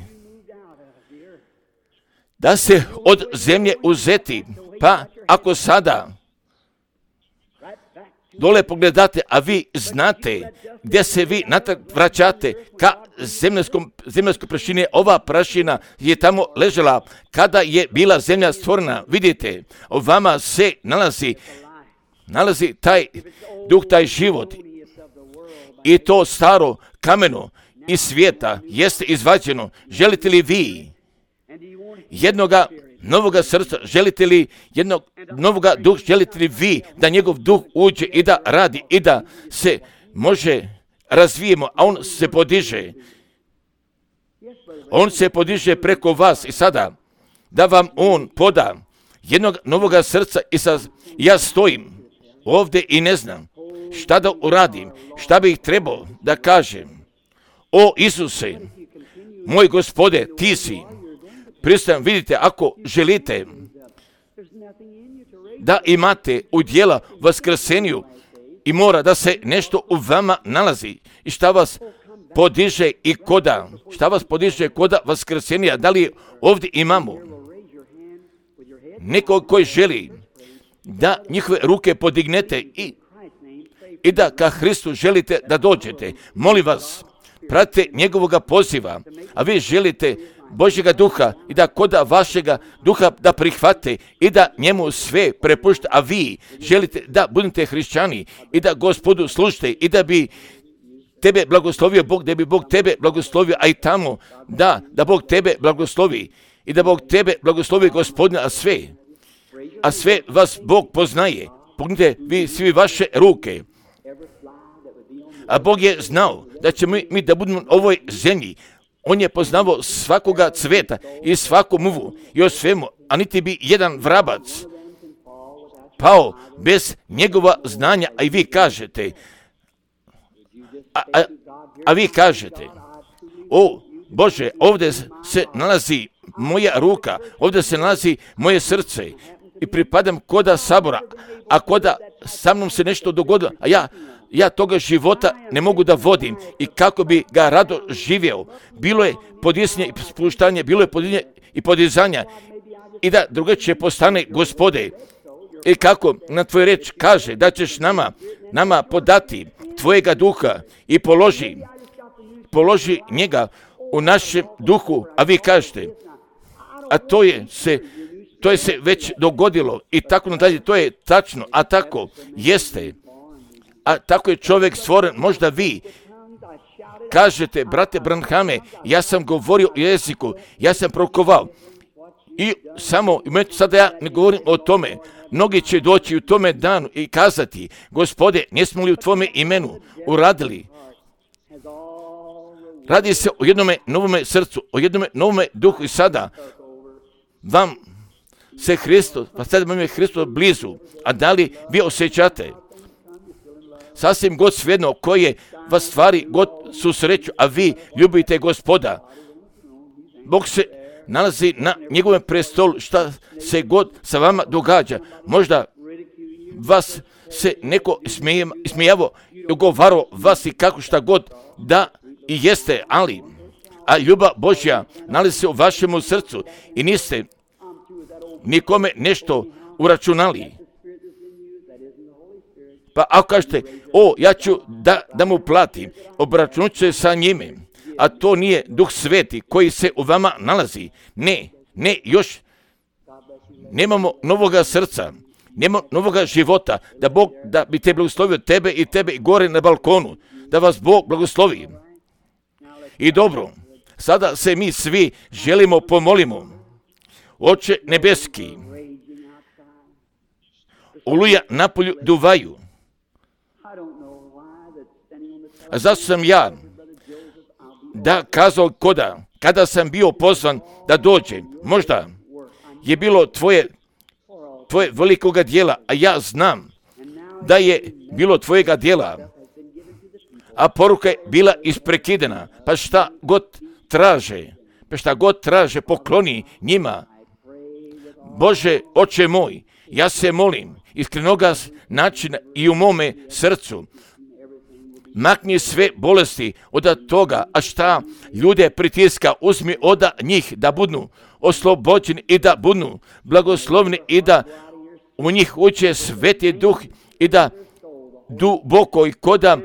da se od zemlje uzeti, pa ako sada dole pogledate, a vi znate gdje se vi natrag vraćate ka zemaljskoj prašini. Ova prašina je tamo ležela kada je bila zemlja stvorena. Vidite, u vama se nalazi taj duh, taj život. I to staro kameno iz svijeta jeste izvađeno. Želite li vi jednoga novoga srca? Želite li jednog novoga duha? Želite li vi da njegov duh uđe i da radi i da se može razvijemo, a on se podiže? On se podiže preko vas i sada da vam on poda jednog novoga srca i ja stojim ovdje i ne znam šta da uradim, šta bih trebao da kažem. O Isuse, moj Gospode, ti si. Pristajem, vidite, ako želite da imate udjela vaskrsenju i mora da se nešto u vama nalazi i šta vas podiže i koda, šta vas podiže koda vaskrsenja, da li ovdje imamo nekog koji želi da njihove ruke podignete i da ka Hristu želite da dođete. Molim vas, pratite njegovoga poziva, a vi želite Božjega duha i da koda vašega duha da prihvate i da njemu sve prepušta, a vi želite da budete hrišćani i da Gospodu služite i da bi tebe blagoslovio Bog, da bi Bog tebe blagoslovio, a i tamo da Bog tebe blagoslovi i da Bog tebe blagoslovi Gospodine, a sve vas Bog poznaje. Pognite vi svi vaše ruke. A Bog je znao da ćemo mi da budemo u ovoj zemlji. On je poznavao svakoga cveta i svaku muvu i o svemu, a niti bi jedan vrabac pao bez njegova znanja, a i vi kažete, vi kažete, o Bože, ovdje se nalazi moja ruka, ovdje se nalazi moje srce i pripadam koda sabora, a koda sa mnom se nešto dogodilo, a ja toga života ne mogu da vodim i kako bi ga rado živjeo. Bilo je podizanje i spuštanje, bilo je podizanje i podizanja i da drugačije postane Gospode. I kako na tvoj reč kaže da ćeš nama podati tvojega duha i položi njega u našem duhu, a vi kažete, a to je se već dogodilo i tako nadalje, to je tačno, a tako jeste. A tako je čovjek stvoren. Možda vi kažete, brate Branhame, ja sam govorio o jeziku, ja sam prorokovao. I samo, sada ja ne govorim o tome, mnogi će doći u tome danu i kazati, Gospode, nismo li u tvome imenu uradili? Radi se o jednome novome srcu, o jednome novome duhu i sada vam se Hristos, pa sada vam je Hristos blizu, a da li vi osjećate? Sasvim god svejedno koje vas stvari god susreću, a vi ljubite Gospoda. Bog se nalazi na njegovom prestolu, šta se god sa vama događa. Možda vas se neko ismijavo i ugovarao vas i kako šta god da i jeste, a ljubav Božja nalazi se u vašemu srcu i niste nikome nešto uračunali. Pa ako kažete, ja ću da mu platim, obračunat ću se sa njime, a to nije Duh Sveti koji se u vama nalazi. Ne, još nemamo novoga srca, nemamo novoga života, da Bog da bi te blagoslovio tebe i tebe i gore na balkonu, da vas Bog blagoslovi. I dobro, sada se mi svi želimo pomolimo. Oče nebeski, oluja napolju duvaju. A zašto sam ja da kazao kada sam bio pozvan da dođem? Možda je bilo tvoje velikoga dijela, a ja znam da je bilo tvojega dijela, a poruka je bila isprekidena, pa šta god traže, pokloni njima. Bože, Oče moj, ja se molim iskrenoga načina i u mome srcu, makni sve bolesti od toga, a šta ljude pritiska, uzmi od njih da budu oslobođeni i da budu blagoslovni i da u njih uđe Sveti Duh i da duboko i koda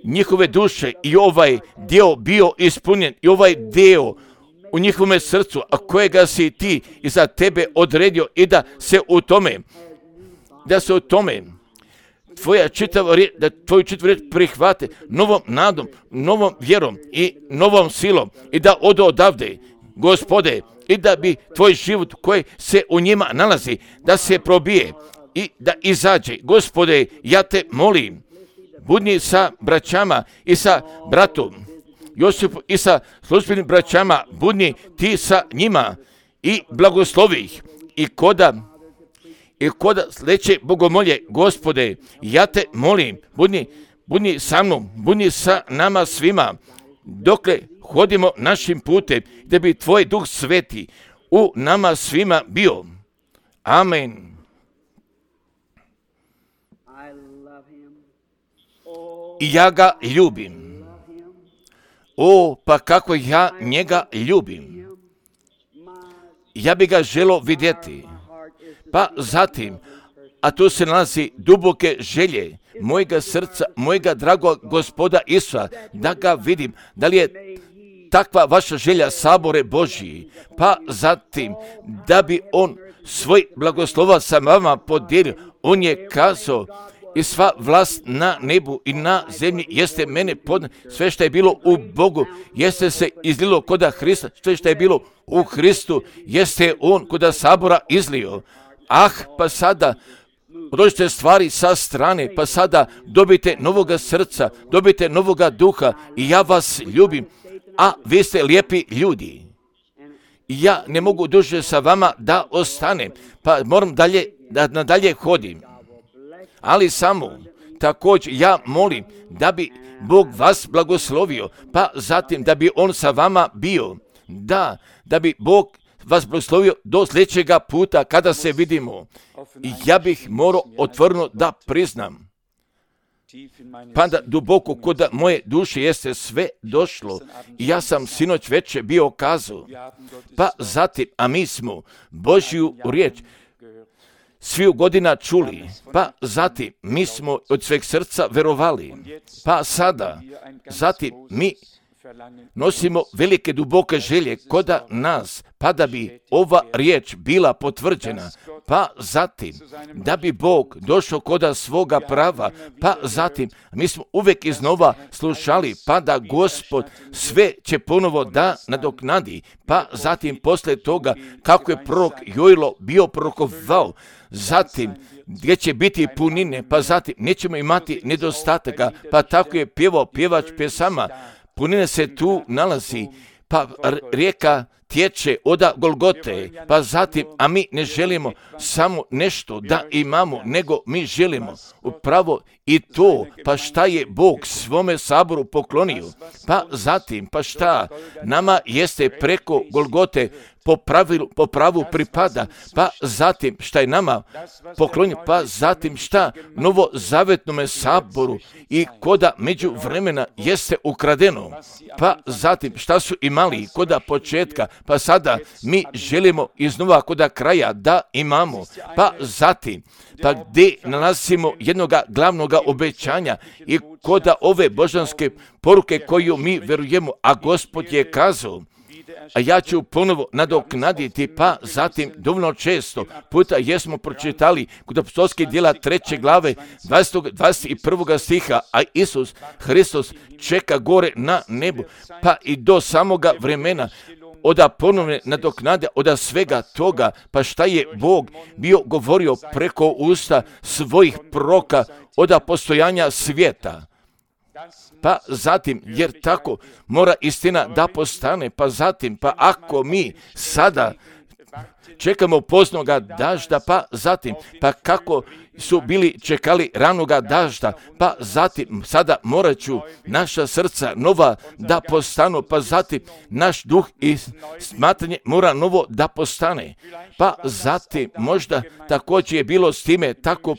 njihove duše i ovaj dio bio ispunjen i ovaj dio u njihovome srcu, a kojega si ti i za tebe odredio i da se u tome tvoju čitavu riječ prihvate novom nadom, novom vjerom i novom silom i da odu odavde, Gospode, i da bi tvoj život koji se u njima nalazi, da se probije i da izađe. Gospode, ja te molim, budni sa braćama i sa bratom Josipu i sa službenim braćama, budni ti sa njima i blagoslovi ih i kod sledeće bogomolje, Gospode, ja te molim, budi sa mnom, budi sa nama svima, dokle hodimo našim putem, da bi Tvoj Duh Sveti u nama svima bio. Amen. I ja ga ljubim. Pa kako ja njega ljubim. Ja bi ga želio vidjeti. Pa zatim, a tu se nalazi duboke želje mojega srca, mojega dragog Gospoda Isusa, da ga vidim, da li je takva vaša želja, sabore Božji, pa zatim, da bi on svoj blagoslova sa vama podijelio. On je kazao, i sva vlast na nebu i na zemlji jeste mene podnijelo. Sve što je bilo u Bogu jeste se izlilo koda Hrista. Sve što je bilo u Hristu jeste on koda sabora izlio. Pa sada odložite stvari sa strane, pa sada dobite novoga srca, dobite novoga duha i ja vas ljubim, a vi ste lijepi ljudi. Ja ne mogu duže sa vama da ostanem, pa moram da nadalje hodim. Ali samo, također ja molim da bi Bog vas blagoslovio, pa zatim da bi on sa vama bio. Da bi Bog vas blagoslovio do sljedećega puta kada se vidimo. I ja bih morao otvoreno da priznam, pa da duboko kod moje duše jeste sve došlo i ja sam sinoć večer bio kazao, pa zatim, a mi smo Božju riječ sviju godina čuli, pa zatim mi smo od sveg srca verovali, pa sada, zatim mi nosimo velike duboke želje koda nas, pa da bi ova riječ bila potvrđena, pa zatim da bi Bog došao koda svoga prava, pa zatim mi smo uvijek iznova slušali, pa da Gospod sve će ponovo da nadoknadi, pa zatim poslije toga kako je prorok Joilo bio prorokovao, zatim gdje će biti punine, pa zatim nećemo imati nedostataka, pa tako je pjevao pjevač pjesama, punine se tu nalazi, pa rijeka tječe od Golgote, pa zatim, a mi ne želimo samo nešto da imamo, nego mi želimo upravo i to, pa šta je Bog svome saboru poklonio, pa zatim, pa šta nama jeste preko Golgote po pravu pripada, pa zatim šta je nama poklonio, pa zatim šta novozavetnome saboru i koda među vremena jeste ukradeno, pa zatim šta su imali koda početka, pa sada mi želimo iznova koda kraja da imamo, pa zatim, pa gdje nalazimo jednoga glavnoga obećanja i koda ove božanske poruke koju mi verujemo, a Gospod je kazao, a ja ću ponovo nadoknaditi, pa zatim dovoljno često puta jesmo pročitali kod apostolskih djela 3. glave 21. stiha, a Isus Hristos čeka gore na nebu, pa i do samoga vremena oda ponovne nadoknade, oda svega toga, pa šta je Bog bio govorio preko usta svojih proroka oda postojanja svijeta. Pa zatim, jer tako mora istina da postane, pa zatim, pa ako mi sada čekamo poznoga dažda, pa zatim, pa kako su bili čekali ranoga dažda, pa zatim, sada morat ću naša srca nova da postanu, pa zatim, naš duh i smatranje mora novo da postane, pa zatim, možda također je bilo s time tako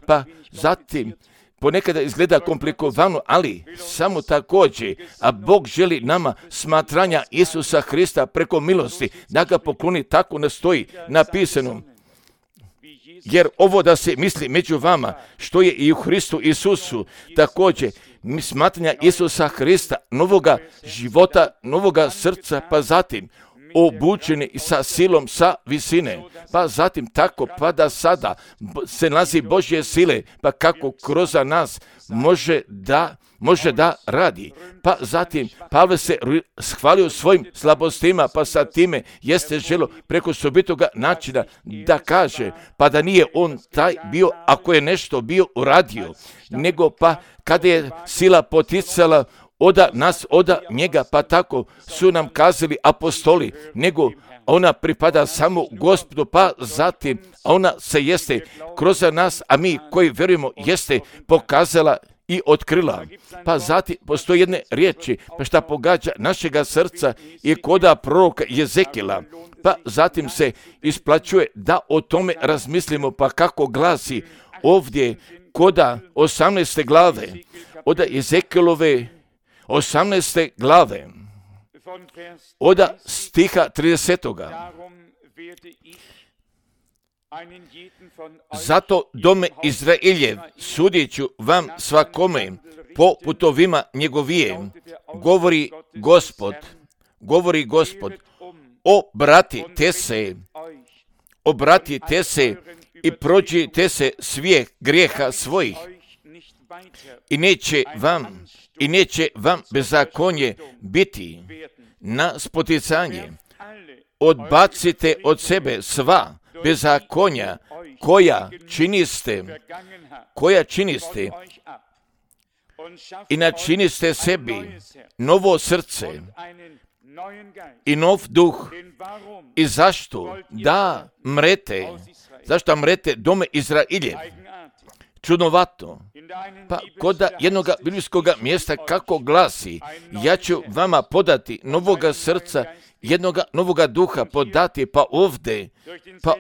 pa zatim, ponekada izgleda komplikovano, ali samo također, a Bog želi nama smatranja Isusa Hrista preko milosti, da ga pokloni, tako nastoji napisano. Jer ovo da se misli među vama, što je i u Hristu Isusu, također smatranja Isusa Hrista, novoga života, novoga srca, pa zatim obučeni sa silom sa visine, pa zatim tako, pa da sada se nalazi Božje sile, pa kako kroz nas može da radi. Pa zatim Pavle se hvalio svojim slabostima, pa sa time jeste želo preko sobitoga načina da kaže, pa da nije on taj bio, ako je nešto bio uradio, nego pa kada je sila poticala oda nas, oda njega, pa tako su nam kazali apostoli, nego ona pripada samo Gospodu, pa zatim ona se jeste kroz nas, a mi koji vjerujemo jeste pokazala i otkrila. Pa zatim postoji jedne riječi, pa šta pogađa našega srca i koda proroka Jezekila. Pa zatim se isplaćuje da o tome razmislimo, pa kako glasi ovdje koda 18. glave, od Jezekilove 18. glave, od stiha 30. Zato dome Izraeljev sudit ću vam svakome po putovima njegovije, govori Gospod, obratite se i prođite se svih grijeha svojih i neće vam bezakonje biti na spoticanje. Odbacite od sebe sva bezakonja koja činiste i načiniste sebi novo srce i nov duh. I zašto mrete dome Izraeljev? Čudnovato. Pa koda jednog biblijskog mjesta kako glasi, ja ću vama podati novoga srca, jednoga novoga duha podati, pa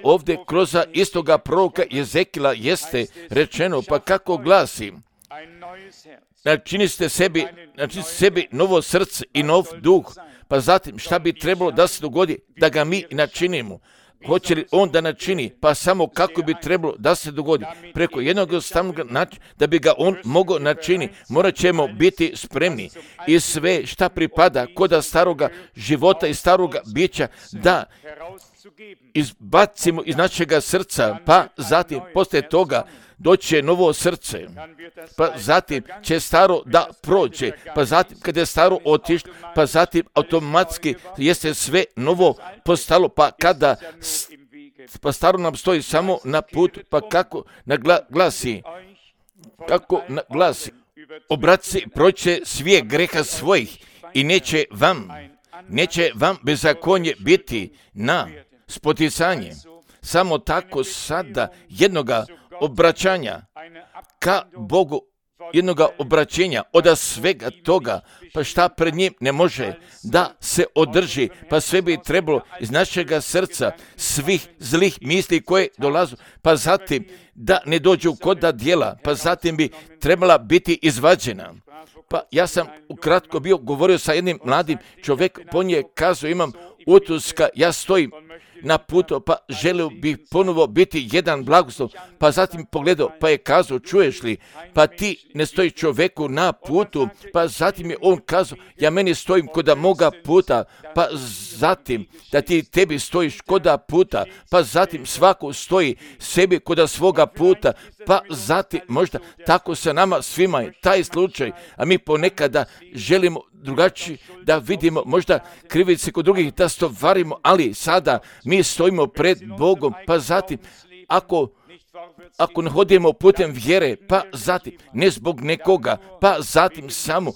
ovdje kroz istoga proroka Jezekila jeste rečeno, pa kako glasi, načinite sebi novo srce i nov duh. Pa zatim šta bi trebalo da se dogodi da ga mi načinimo? Hoće li on da načini? Pa samo kako bi trebalo da se dogodi? Preko jednog stavnog načina da bi ga on mogao načini, morat ćemo biti spremni i sve šta pripada koda staroga života i staroga bića da izbacimo iz našega srca, pa zatim poslije toga doće novo srce, pa zatim će staro da prođe, pa zatim kada je staro otišlo, pa zatim automatski jeste sve novo postalo, pa kada pa staro nam stoji samo na putu, pa kako glasi, obraci proće svije greha svojih i neće vam bezakonje biti na spoticanje. Samo tako sada jednoga obraćanja ka Bogu, jednoga obraćenja od svega toga, pa šta pred njim ne može da se održi, pa sve bi trebalo iz našega srca svih zlih misli koje dolazu, pa zatim da ne dođu kod djela, pa zatim bi trebala biti izvađena. Pa ja sam ukratko govorio sa jednim mladim čovjekom, on je kazao, imam utuska, ja stojim na putu, pa želio bih ponovo biti jedan blagoslov, pa zatim pogledao, pa je kazao, čuješ li, pa ti ne stoji čovjeku na putu, pa zatim je on kazao, ja meni stojim koda moga puta, pa zatim da ti tebi stojiš koda puta, pa zatim svako stoji sebi koda svoga puta, pa zatim možda tako sa nama svima je taj slučaj, a mi ponekada želimo drugačije da vidimo možda krivice kod drugih da stovarimo, ali sada mi stojimo pred Bogom, pa zatim ako ne hodimo putem vjere, pa zatim ne zbog nekoga, pa zatim samo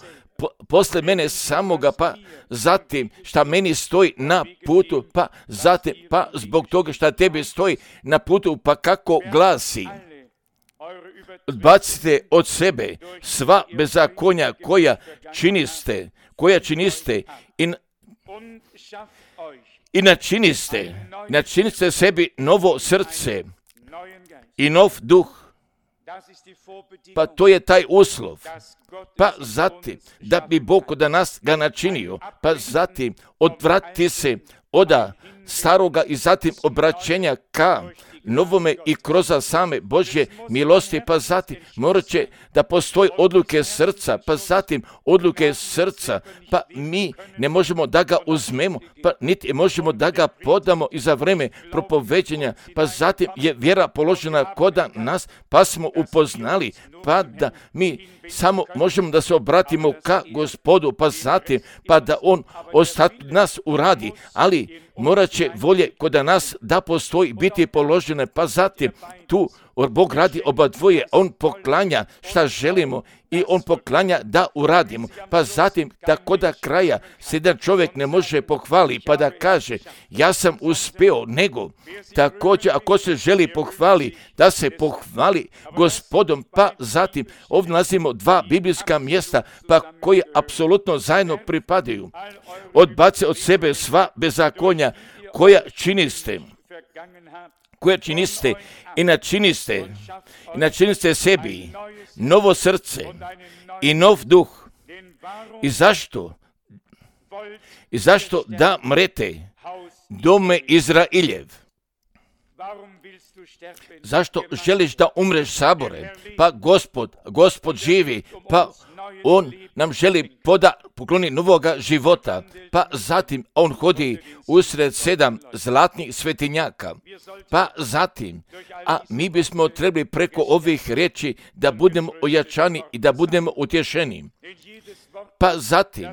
posle mene samoga, pa zatim šta meni stoji na putu, pa zatim pa zbog toga šta tebi stoji na putu, pa kako glasi, odbacite od sebe sva bezakonja koja činiste i načiniste sebi novo srce i nov duh. Pa to je taj uslov. Pa zatim, da bi Bog kod nas ga načinio, pa zatim odvrati se od staroga i zatim obraćenja ka novome i kroz same Božje milosti, pa zatim morat će da postoji odluke srca, pa zatim odluke srca, pa mi ne možemo da ga uzmemo, pa niti možemo da ga podamo i za vreme propoveđenja, pa zatim je vjera položena kod nas, pa smo upoznali, pa da mi samo možemo da se obratimo ka Gospodu, pa zatim, pa da on ostatak nas uradi, ali morat će volje kod nas da postoji biti položene, pa zatim tu Bog radi oba dvoje, On poklanja šta želimo i On poklanja da uradimo. Pa zatim, tako da kraja se jedan čovjek ne može pohvali, pa da kaže, ja sam uspeo, nego također ako se želi pohvali, da se pohvali Gospodom, pa zatim ovdje nalazimo dva biblijska mjesta, pa koje apsolutno zajedno pripadaju. Odbace od sebe sva bezakonja koja činiste i načiniste sebi novo srce i nov duh. I zašto da mrete dome Izrailjev? Zašto želiš da umreš, Sabore? Pa Gospod živi, pa On nam želi pokloni novoga života, pa zatim On hodi usred 7 zlatnih svetinjaka, pa zatim, a mi bismo trebali preko ovih riječi da budemo ojačani i da budemo utješeni. Pa zatim,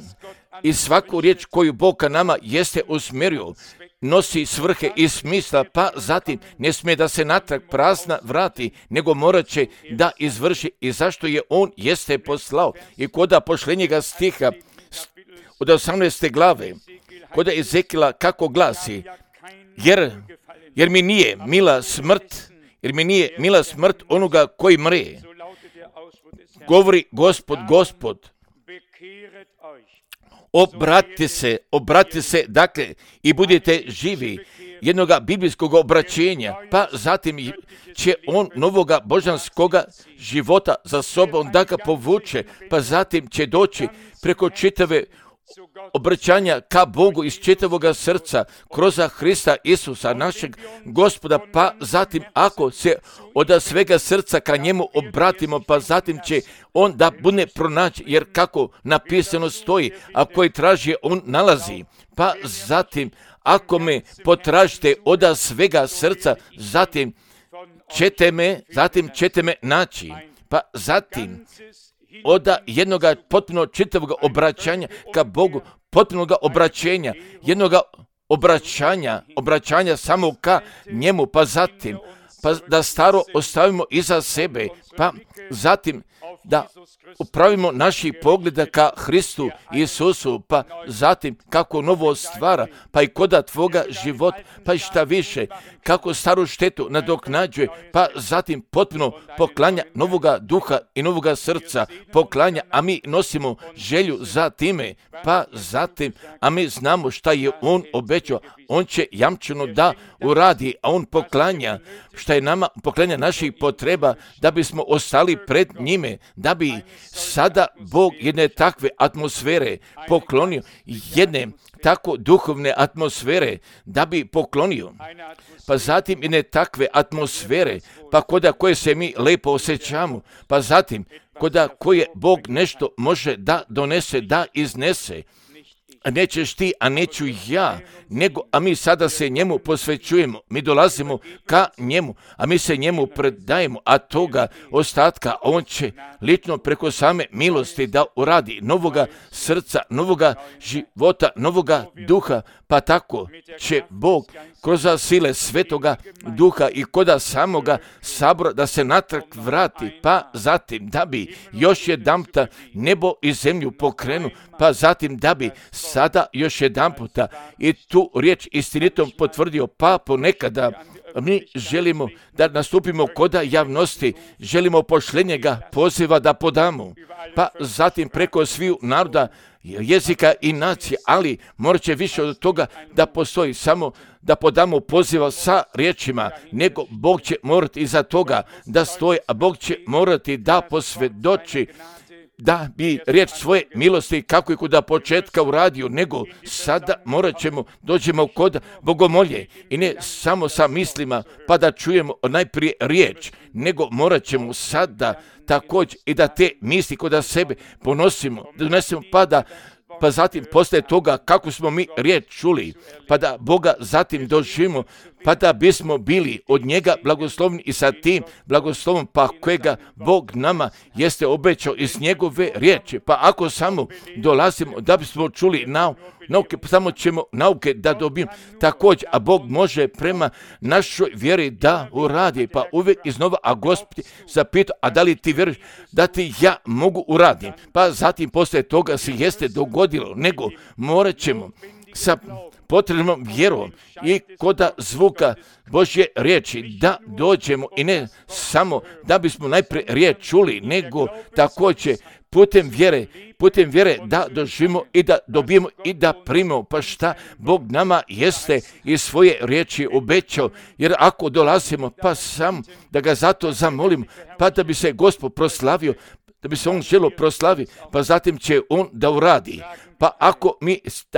i svaku riječ koju Bog ka nama jeste usmjerio, nosi svrhe i smisla, pa zatim ne smije da se natrag prazna vrati, nego morat će da izvrši i zašto je On jeste poslao. I koda pošljenjega stiha od 18. glave, koda Ezekila kako glasi, jer mi nije mila smrt onoga koji mre. Govori Gospod, obratite se, dakle, i budite živi, jednoga biblijskog obraćenja, pa zatim će On novoga božanskoga života za sobom da ga povuče, pa zatim će doći preko čitave obraćanja ka Bogu iz čitavoga srca, kroz Hrista Isusa, našeg Gospoda, pa zatim ako se od svega srca ka njemu obratimo, pa zatim će On da bude pronaći, jer kako napisano stoji, a koji traži on nalazi, pa zatim ako me potražite od svega srca, zatim ćete me naći, pa zatim od jednoga potpuno čitavog obraćanja ka Bogu, potpunog obraćenja, jednoga obraćanja samo ka njemu, pa zatim da staro ostavimo iza sebe, pa zatim da upravimo naših pogleda ka Hristu Isusu, pa zatim kako novo stvara, pa i koda tvoga života, pa i šta više, kako staru štetu nadoknađuje, pa zatim potpuno poklanja novoga duha i novoga srca, poklanja, a mi nosimo želju za time, pa zatim, a mi znamo šta je On obećao, On će jamčeno da uradi, a On poklanja šta je nama, poklanja naših potreba, da bismo ostali pred njime, da bi sada Bog jedne takve atmosfere poklonio, jedne tako duhovne atmosfere, da bi poklonio. Pa zatim jedne takve atmosfere, pa koda koje se mi lepo osjećamo, pa zatim koda koje Bog nešto može da donese, da iznese, a nećeš ti, a neću ja, a mi sada se njemu posvećujemo, mi dolazimo ka njemu, a mi se njemu predajemo, a toga ostatka on će lično preko same milosti da uradi novoga srca, novoga života, novoga duha, pa tako će Bog kroz sile Svetoga Duha i koda samoga Sabora da se natrag vrati, pa zatim da bi još jedanputa nebo i zemlju pokrenu, pa zatim da bi sada još jedanputa i tu riječ istinitom potvrdio, pa ponekada mi želimo da nastupimo koda javnosti, želimo pošljenjega poziva da podamo, pa zatim preko sviju naroda, jezika i nacije, ali morat će više od toga da postoji samo da podamo poziva sa riječima, nego Bog će morati iza toga da stoji, a Bog će morati da posvjedoči da bi riječ svoje milosti kako i kuda početka uradio, nego sada dođemo kod bogomolje i ne samo sa mislima pa da čujemo najprije riječ, nego morat ćemo sada također i da te misli kod sebe donesemo pa zatim posle toga kako smo mi riječ čuli, pa da Boga zatim doživimo, pa da bismo bili od njega blagoslovni i sa tim blagoslovom pa kojega Bog nama jeste obećao iz njegove riječi. Pa ako samo dolazimo da bismo čuli nauke, samo ćemo nauke da dobijemo također, a Bog može prema našoj vjeri da uradi, pa uvijek iznova, a Gospod zapita, a da li ti vjeruješ da ti ja mogu uraditi? Pa zatim poslije toga se jeste dogodilo, nego morat ćemo sa potrebnom vjerom i koda zvuka Božje riječi da dođemo i ne samo da bismo najprije riječ čuli, nego također putem vjere da doživimo i da dobijemo i da primimo, pa šta Bog nama jeste iz svoje riječi obećao, jer ako dolazimo pa sam da ga zato zamolimo, pa da bi se Gospod proslavio, da bi se on želio proslavi, pa zatim će on da uradi. Pa ako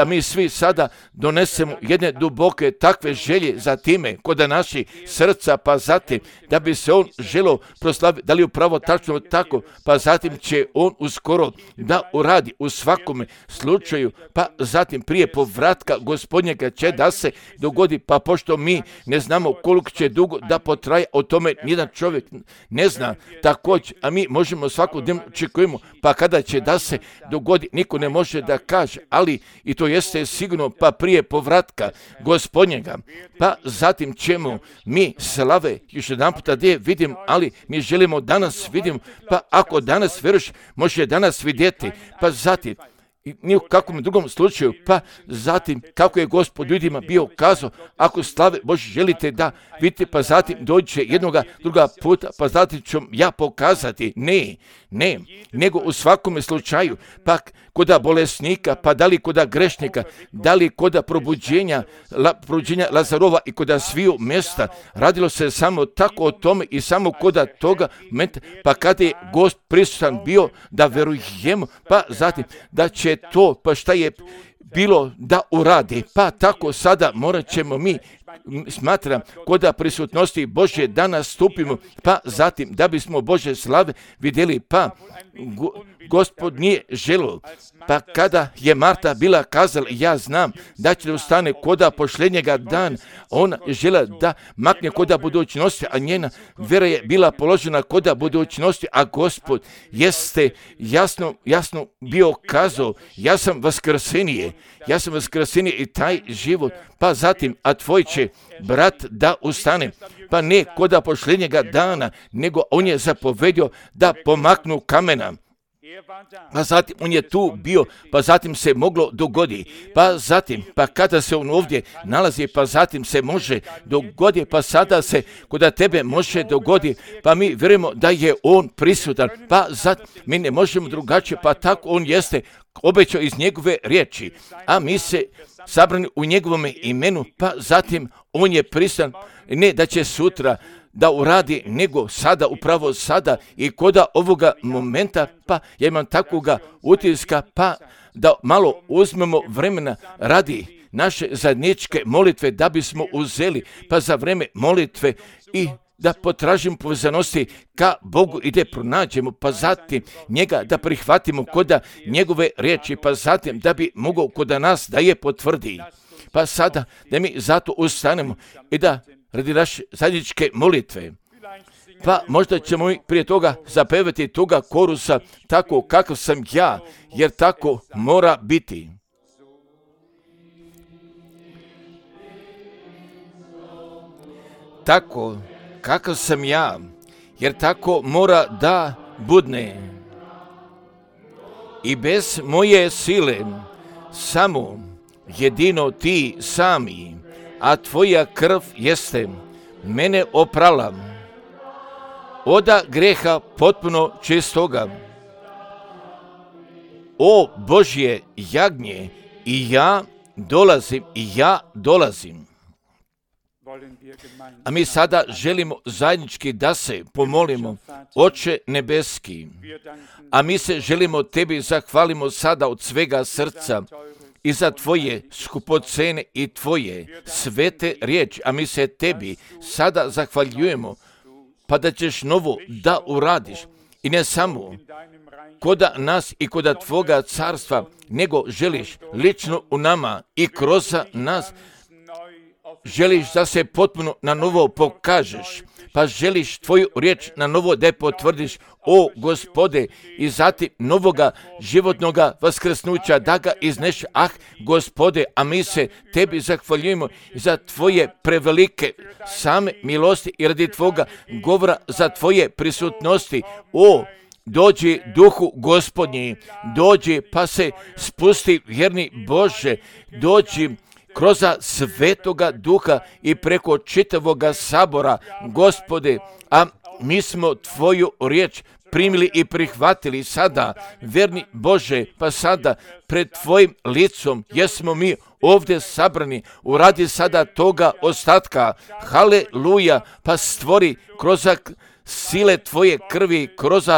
mi svi sada donesemo jedne duboke takve želje za time kod naši srca, pa zatim da bi se on želio proslaviti, da li upravo tačno tako, pa zatim će on uskoro da uradi u svakome slučaju, pa zatim prije povratka Gospodnjega će da se dogodi, pa pošto mi ne znamo koliko će dugo da potraje, o tome nijedan čovjek ne zna također, a mi možemo svakodnevno očekujemo, pa kada će da se dogodi, niko ne može da kaže, ali i to jeste sigurno, pa prije povratka Gospodnjega, pa zatim ćemo mi slave još jedan puta gdje vidimo, ali mi želimo danas vidimo, pa ako danas vjeruješ, može danas vidjeti, pa zatim ni u kakvom drugom slučaju, pa zatim kako je Gospod ljudima bio kazao, ako slave Bože želite da vidite, pa zatim dođe druga puta, pa zatim ću ja pokazati. Ne, nego u svakome slučaju, pa koda bolesnika, pa da li koda grešnika, da li koda probuđenja Lazarova i koda sviju mjesta, radilo se samo tako o tome i samo koda toga momenta, pa kada je Gost prisutan bio da verujemo, pa zatim da će to, pa šta je bilo da uradi, pa tako sada morat ćemo mi, smatram, koda prisutnosti Božje da nastupimo, pa zatim da bismo Božje slave vidjeli, pa Gospod nije želio, pa kada je Marta bila kazala, ja znam da će ustane koda pošljenjega dan, ona je žela da makne koda budućnosti, a njena vera je bila položena koda budućnosti, a Gospod jeste jasno bio kazao, ja sam vaskrsenije i taj život, pa zatim, a tvoj će brat da ustane, pa ne koda pošljenjega dana, nego on je zapovedio da pomaknu kamena. Pa zatim on je tu bio, pa zatim se moglo dogoditi, pa zatim, pa kada se on ovdje nalazi, pa zatim se može dogoditi, pa sada se kod tebe može dogoditi, pa mi vjerujemo da je on prisutan, pa zatim mi ne možemo drugačije, pa tako on jeste obećao iz njegove riječi, a mi se sabrani u njegovom imenu, pa zatim on je prisutan, ne da će sutra da uradi, nego sada, upravo sada i koda ovoga momenta, pa ja imam takvoga utiska, pa da malo uzmemo vremena radi naše zajedničke molitve, da bismo uzeli, pa za vreme molitve i da potražimo povezanosti ka Bogu i da pronađemo, pa zatim njega da prihvatimo koda njegove riječi, pa zatim da bi mogao koda nas da je potvrdi. Pa sada da mi zato ustanemo i da radi naše zajedničke molitve, pa možda ćemo i prije toga zapevati toga korusa tako kakav sam ja, jer tako mora biti. Tako kakav sam ja, jer tako mora da budne. I bez moje sile, samo jedino ti sami, a tvoja krv jeste mene oprala oda greha potpuno čistoga. O Božje jagnje, i ja dolazim. A mi sada želimo zajednički da se pomolimo, Oče nebeski, a mi se želimo tebi zahvalimo sada od svega srca i za tvoje skupocene i tvoje svete riječi, a mi se tebi sada zahvaljujemo, pa da ćeš novo da uradiš i ne samo koda nas i koda tvoga carstva, nego želiš lično u nama i kroz nas želiš da se potpuno na novo pokažeš, pa želiš tvoju riječ na novo da je potvrdiš, o Gospode, i zatim novoga životnoga vaskrsnuća da ga izneš, Gospode, a mi se tebi zahvaljujemo za tvoje prevelike same milosti i radi tvoga govora, za tvoje prisutnosti, o dođi Duhu Gospodnji, dođi pa se spusti, vjerni Bože, dođi kroz Svetoga Duha i preko čitavoga sabora, Gospode, a mi smo tvoju riječ primili i prihvatili sada, vjerni Bože, pa sada pred tvojim licom jesmo mi ovdje sabrani, uradi sada toga ostatka, haleluja, pa stvori kroz sile tvoje krvi, kroz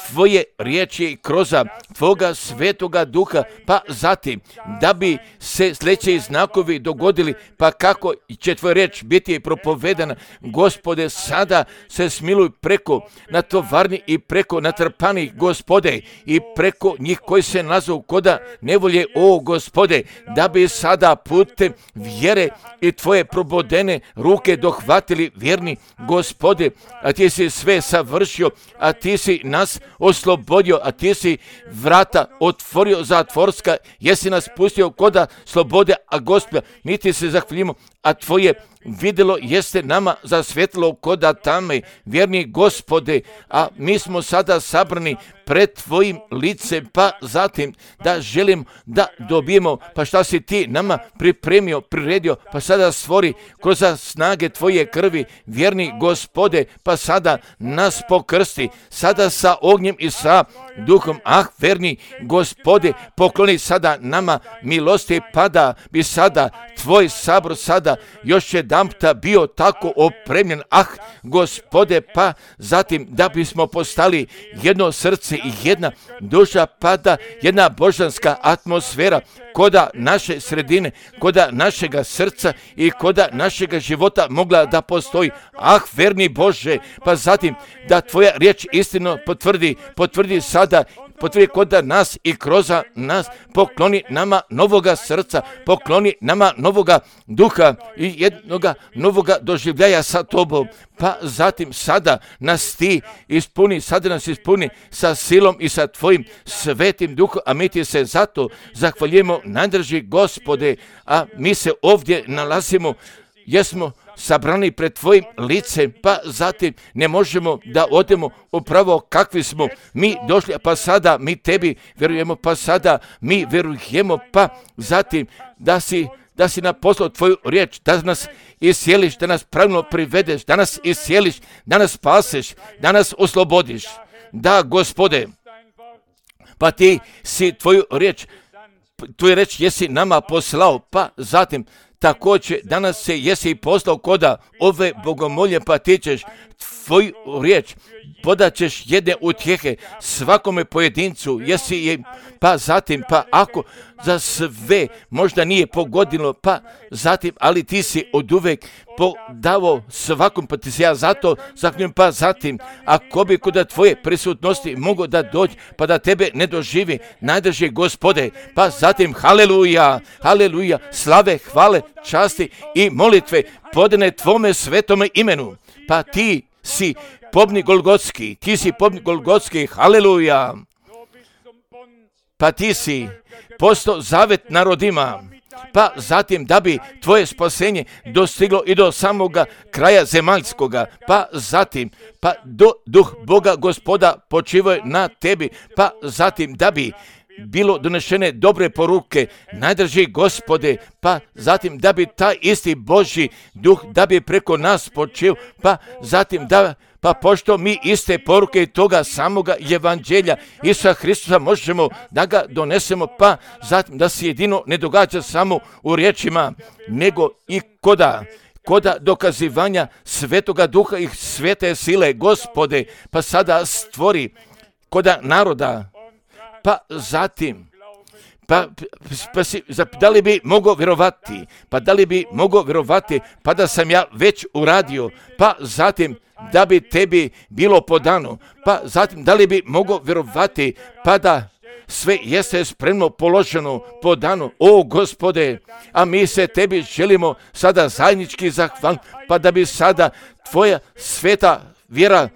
tvoje riječi i kroz tvoga Svetoga Duha, pa zatim da bi se sljedeći znakovi dogodili, pa kako će tvoja riječ biti propovedana, Gospode, sada se smiluj preko natovarni i preko natrpanih, Gospode, i preko njih koji se nazovu koda nevolje, o Gospode, da bi sada putem vjere i tvoje probodene ruke dohvatili, vjerni Gospode, a ti si sve savršio, a ti si nas oslobodio, a ti si vrata otvorio zatvorska, jesi nas pustio koda slobode, a Gospoda, mi ti se zahvaljujemo, a tvoje vidjelo jeste nama zasvjetlo koda tame, vjerni Gospode, a mi smo sada sabrani pred tvojim licem, pa zatim da želim da dobijemo, pa šta si ti nama pripremio, priredio, pa sada stvori kroz snage tvoje krvi, vjerni Gospode, pa sada nas pokrsti, sada sa ognjem i sa duhom, verni Gospode, pokloni sada nama milosti, pa da bi sada tvoj sabor sada još jedanputa bio tako opremljen, Gospode, pa zatim da bismo postali jedno srce i jedna duša, pa da jedna božanska atmosfera koda naše sredine, koda našega srca i koda našega života mogla da postoji. Verni Bože, pa zatim da tvoja riječ istino potvrdi sada, potvrdi koda nas i kroz nas, pokloni nama novoga srca, pokloni nama novoga duha i jednoga novoga doživljaja sa tobom, pa zatim sada nas ti ispuni, sada nas ispuni sa silom i sa tvojim svetim duhom, a mi ti se zato zahvaljujemo, najdrži Gospode, a mi se ovdje nalazimo, jesmo sabrani pred tvojim licem, pa zatim ne možemo da odemo upravo kakvi smo mi došli, pa sada mi tebi vjerujemo, pa sada mi vjerujemo, pa zatim da si nam poslao tvoju riječ, da nas iscijeliš, da nas pravilno privedeš, da nas iscijeliš, da nas spaseš, da nas oslobodiš. Da, Gospode, pa ti si tvoju riječ jesi nama poslao, pa zatim također danas se jesi poslao koda ove bogomolje, pa ti ćeš tvoju riječ podaćeš jedne utjehe svakome pojedincu, jesi je, pa zatim, pa ako za sve možda nije pogodilo, pa zatim, ali ti si oduvek podavo svakom, pa ti si ja zato zahvaljujem, pa zatim, ako bi kod tvoje prisutnosti mogo da dođe, pa da tebe ne doživi, najdrži Gospode, pa zatim, haleluja, haleluja, slave, hvale, časti i molitve podane tvome svetome imenu, pa ti si pobnik Golgotski, haleluja, pa ti si postao zavet narodima, pa zatim da bi tvoje spasenje dostiglo i do samoga kraja zemaljskoga, pa zatim, pa duh Boga Gospoda počivaju na tebi, pa zatim da bi bilo donešene dobre poruke, najdrži Gospode, pa zatim da bi taj isti Božji duh da bi preko nas počeo, pa zatim pa pošto mi iste poruke toga samoga evanđelja Isusa Hristusa možemo da ga donesemo, pa zatim da se jedino ne događa samo u riječima, nego i koda dokazivanja Svetoga Duha i svete sile, Gospode, pa sada stvori koda naroda, pa zatim, da li bi mogao vjerovati, pa da sam ja već uradio, pa zatim da bi tebi bilo podano, pa zatim da li bi mogao vjerovati, pa da sve jeste spremno položeno po danu, o Gospode, a mi se tebi želimo sada zajednički zahvaliti, pa da bi sada tvoja sveta vjera,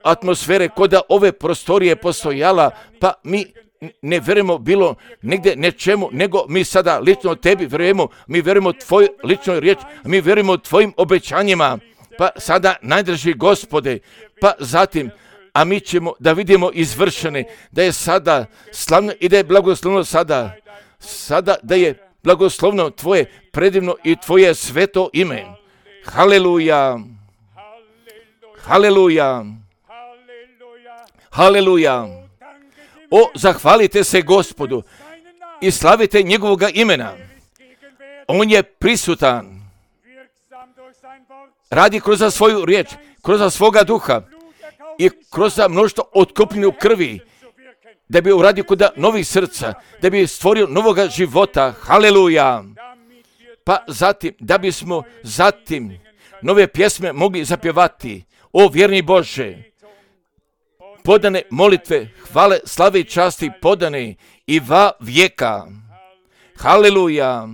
atmosfere kod ove prostorije postojala, pa mi ne vjerujemo bilo negdje nečemu, nego mi sada lično tebi vjerujemo, mi vjerujemo tvoju ličnoj riječ, mi vjerujemo tvojim obećanjima, pa sada najdraži Gospode, pa zatim, a mi ćemo da vidimo izvršene, da je sada slavno i da je blagoslovno sada da je blagoslovno tvoje predivno i tvoje sveto ime. Haleluja, haleluja, haleluja. O, zahvalite se Gospodu i slavite njegovoga imena. On je prisutan. Radi kroz svoju riječ, kroz svoga duha i kroz mnoštvo otkupljenu krvi, da bi uradio kod novih srca, da bi stvorio novoga života. Haleluja. Pa zatim, da bismo zatim nove pjesme mogli zapjevati. O vjerni Bože, podane molitve, hvale, slave i časti podane i va vijeka. Haleluja.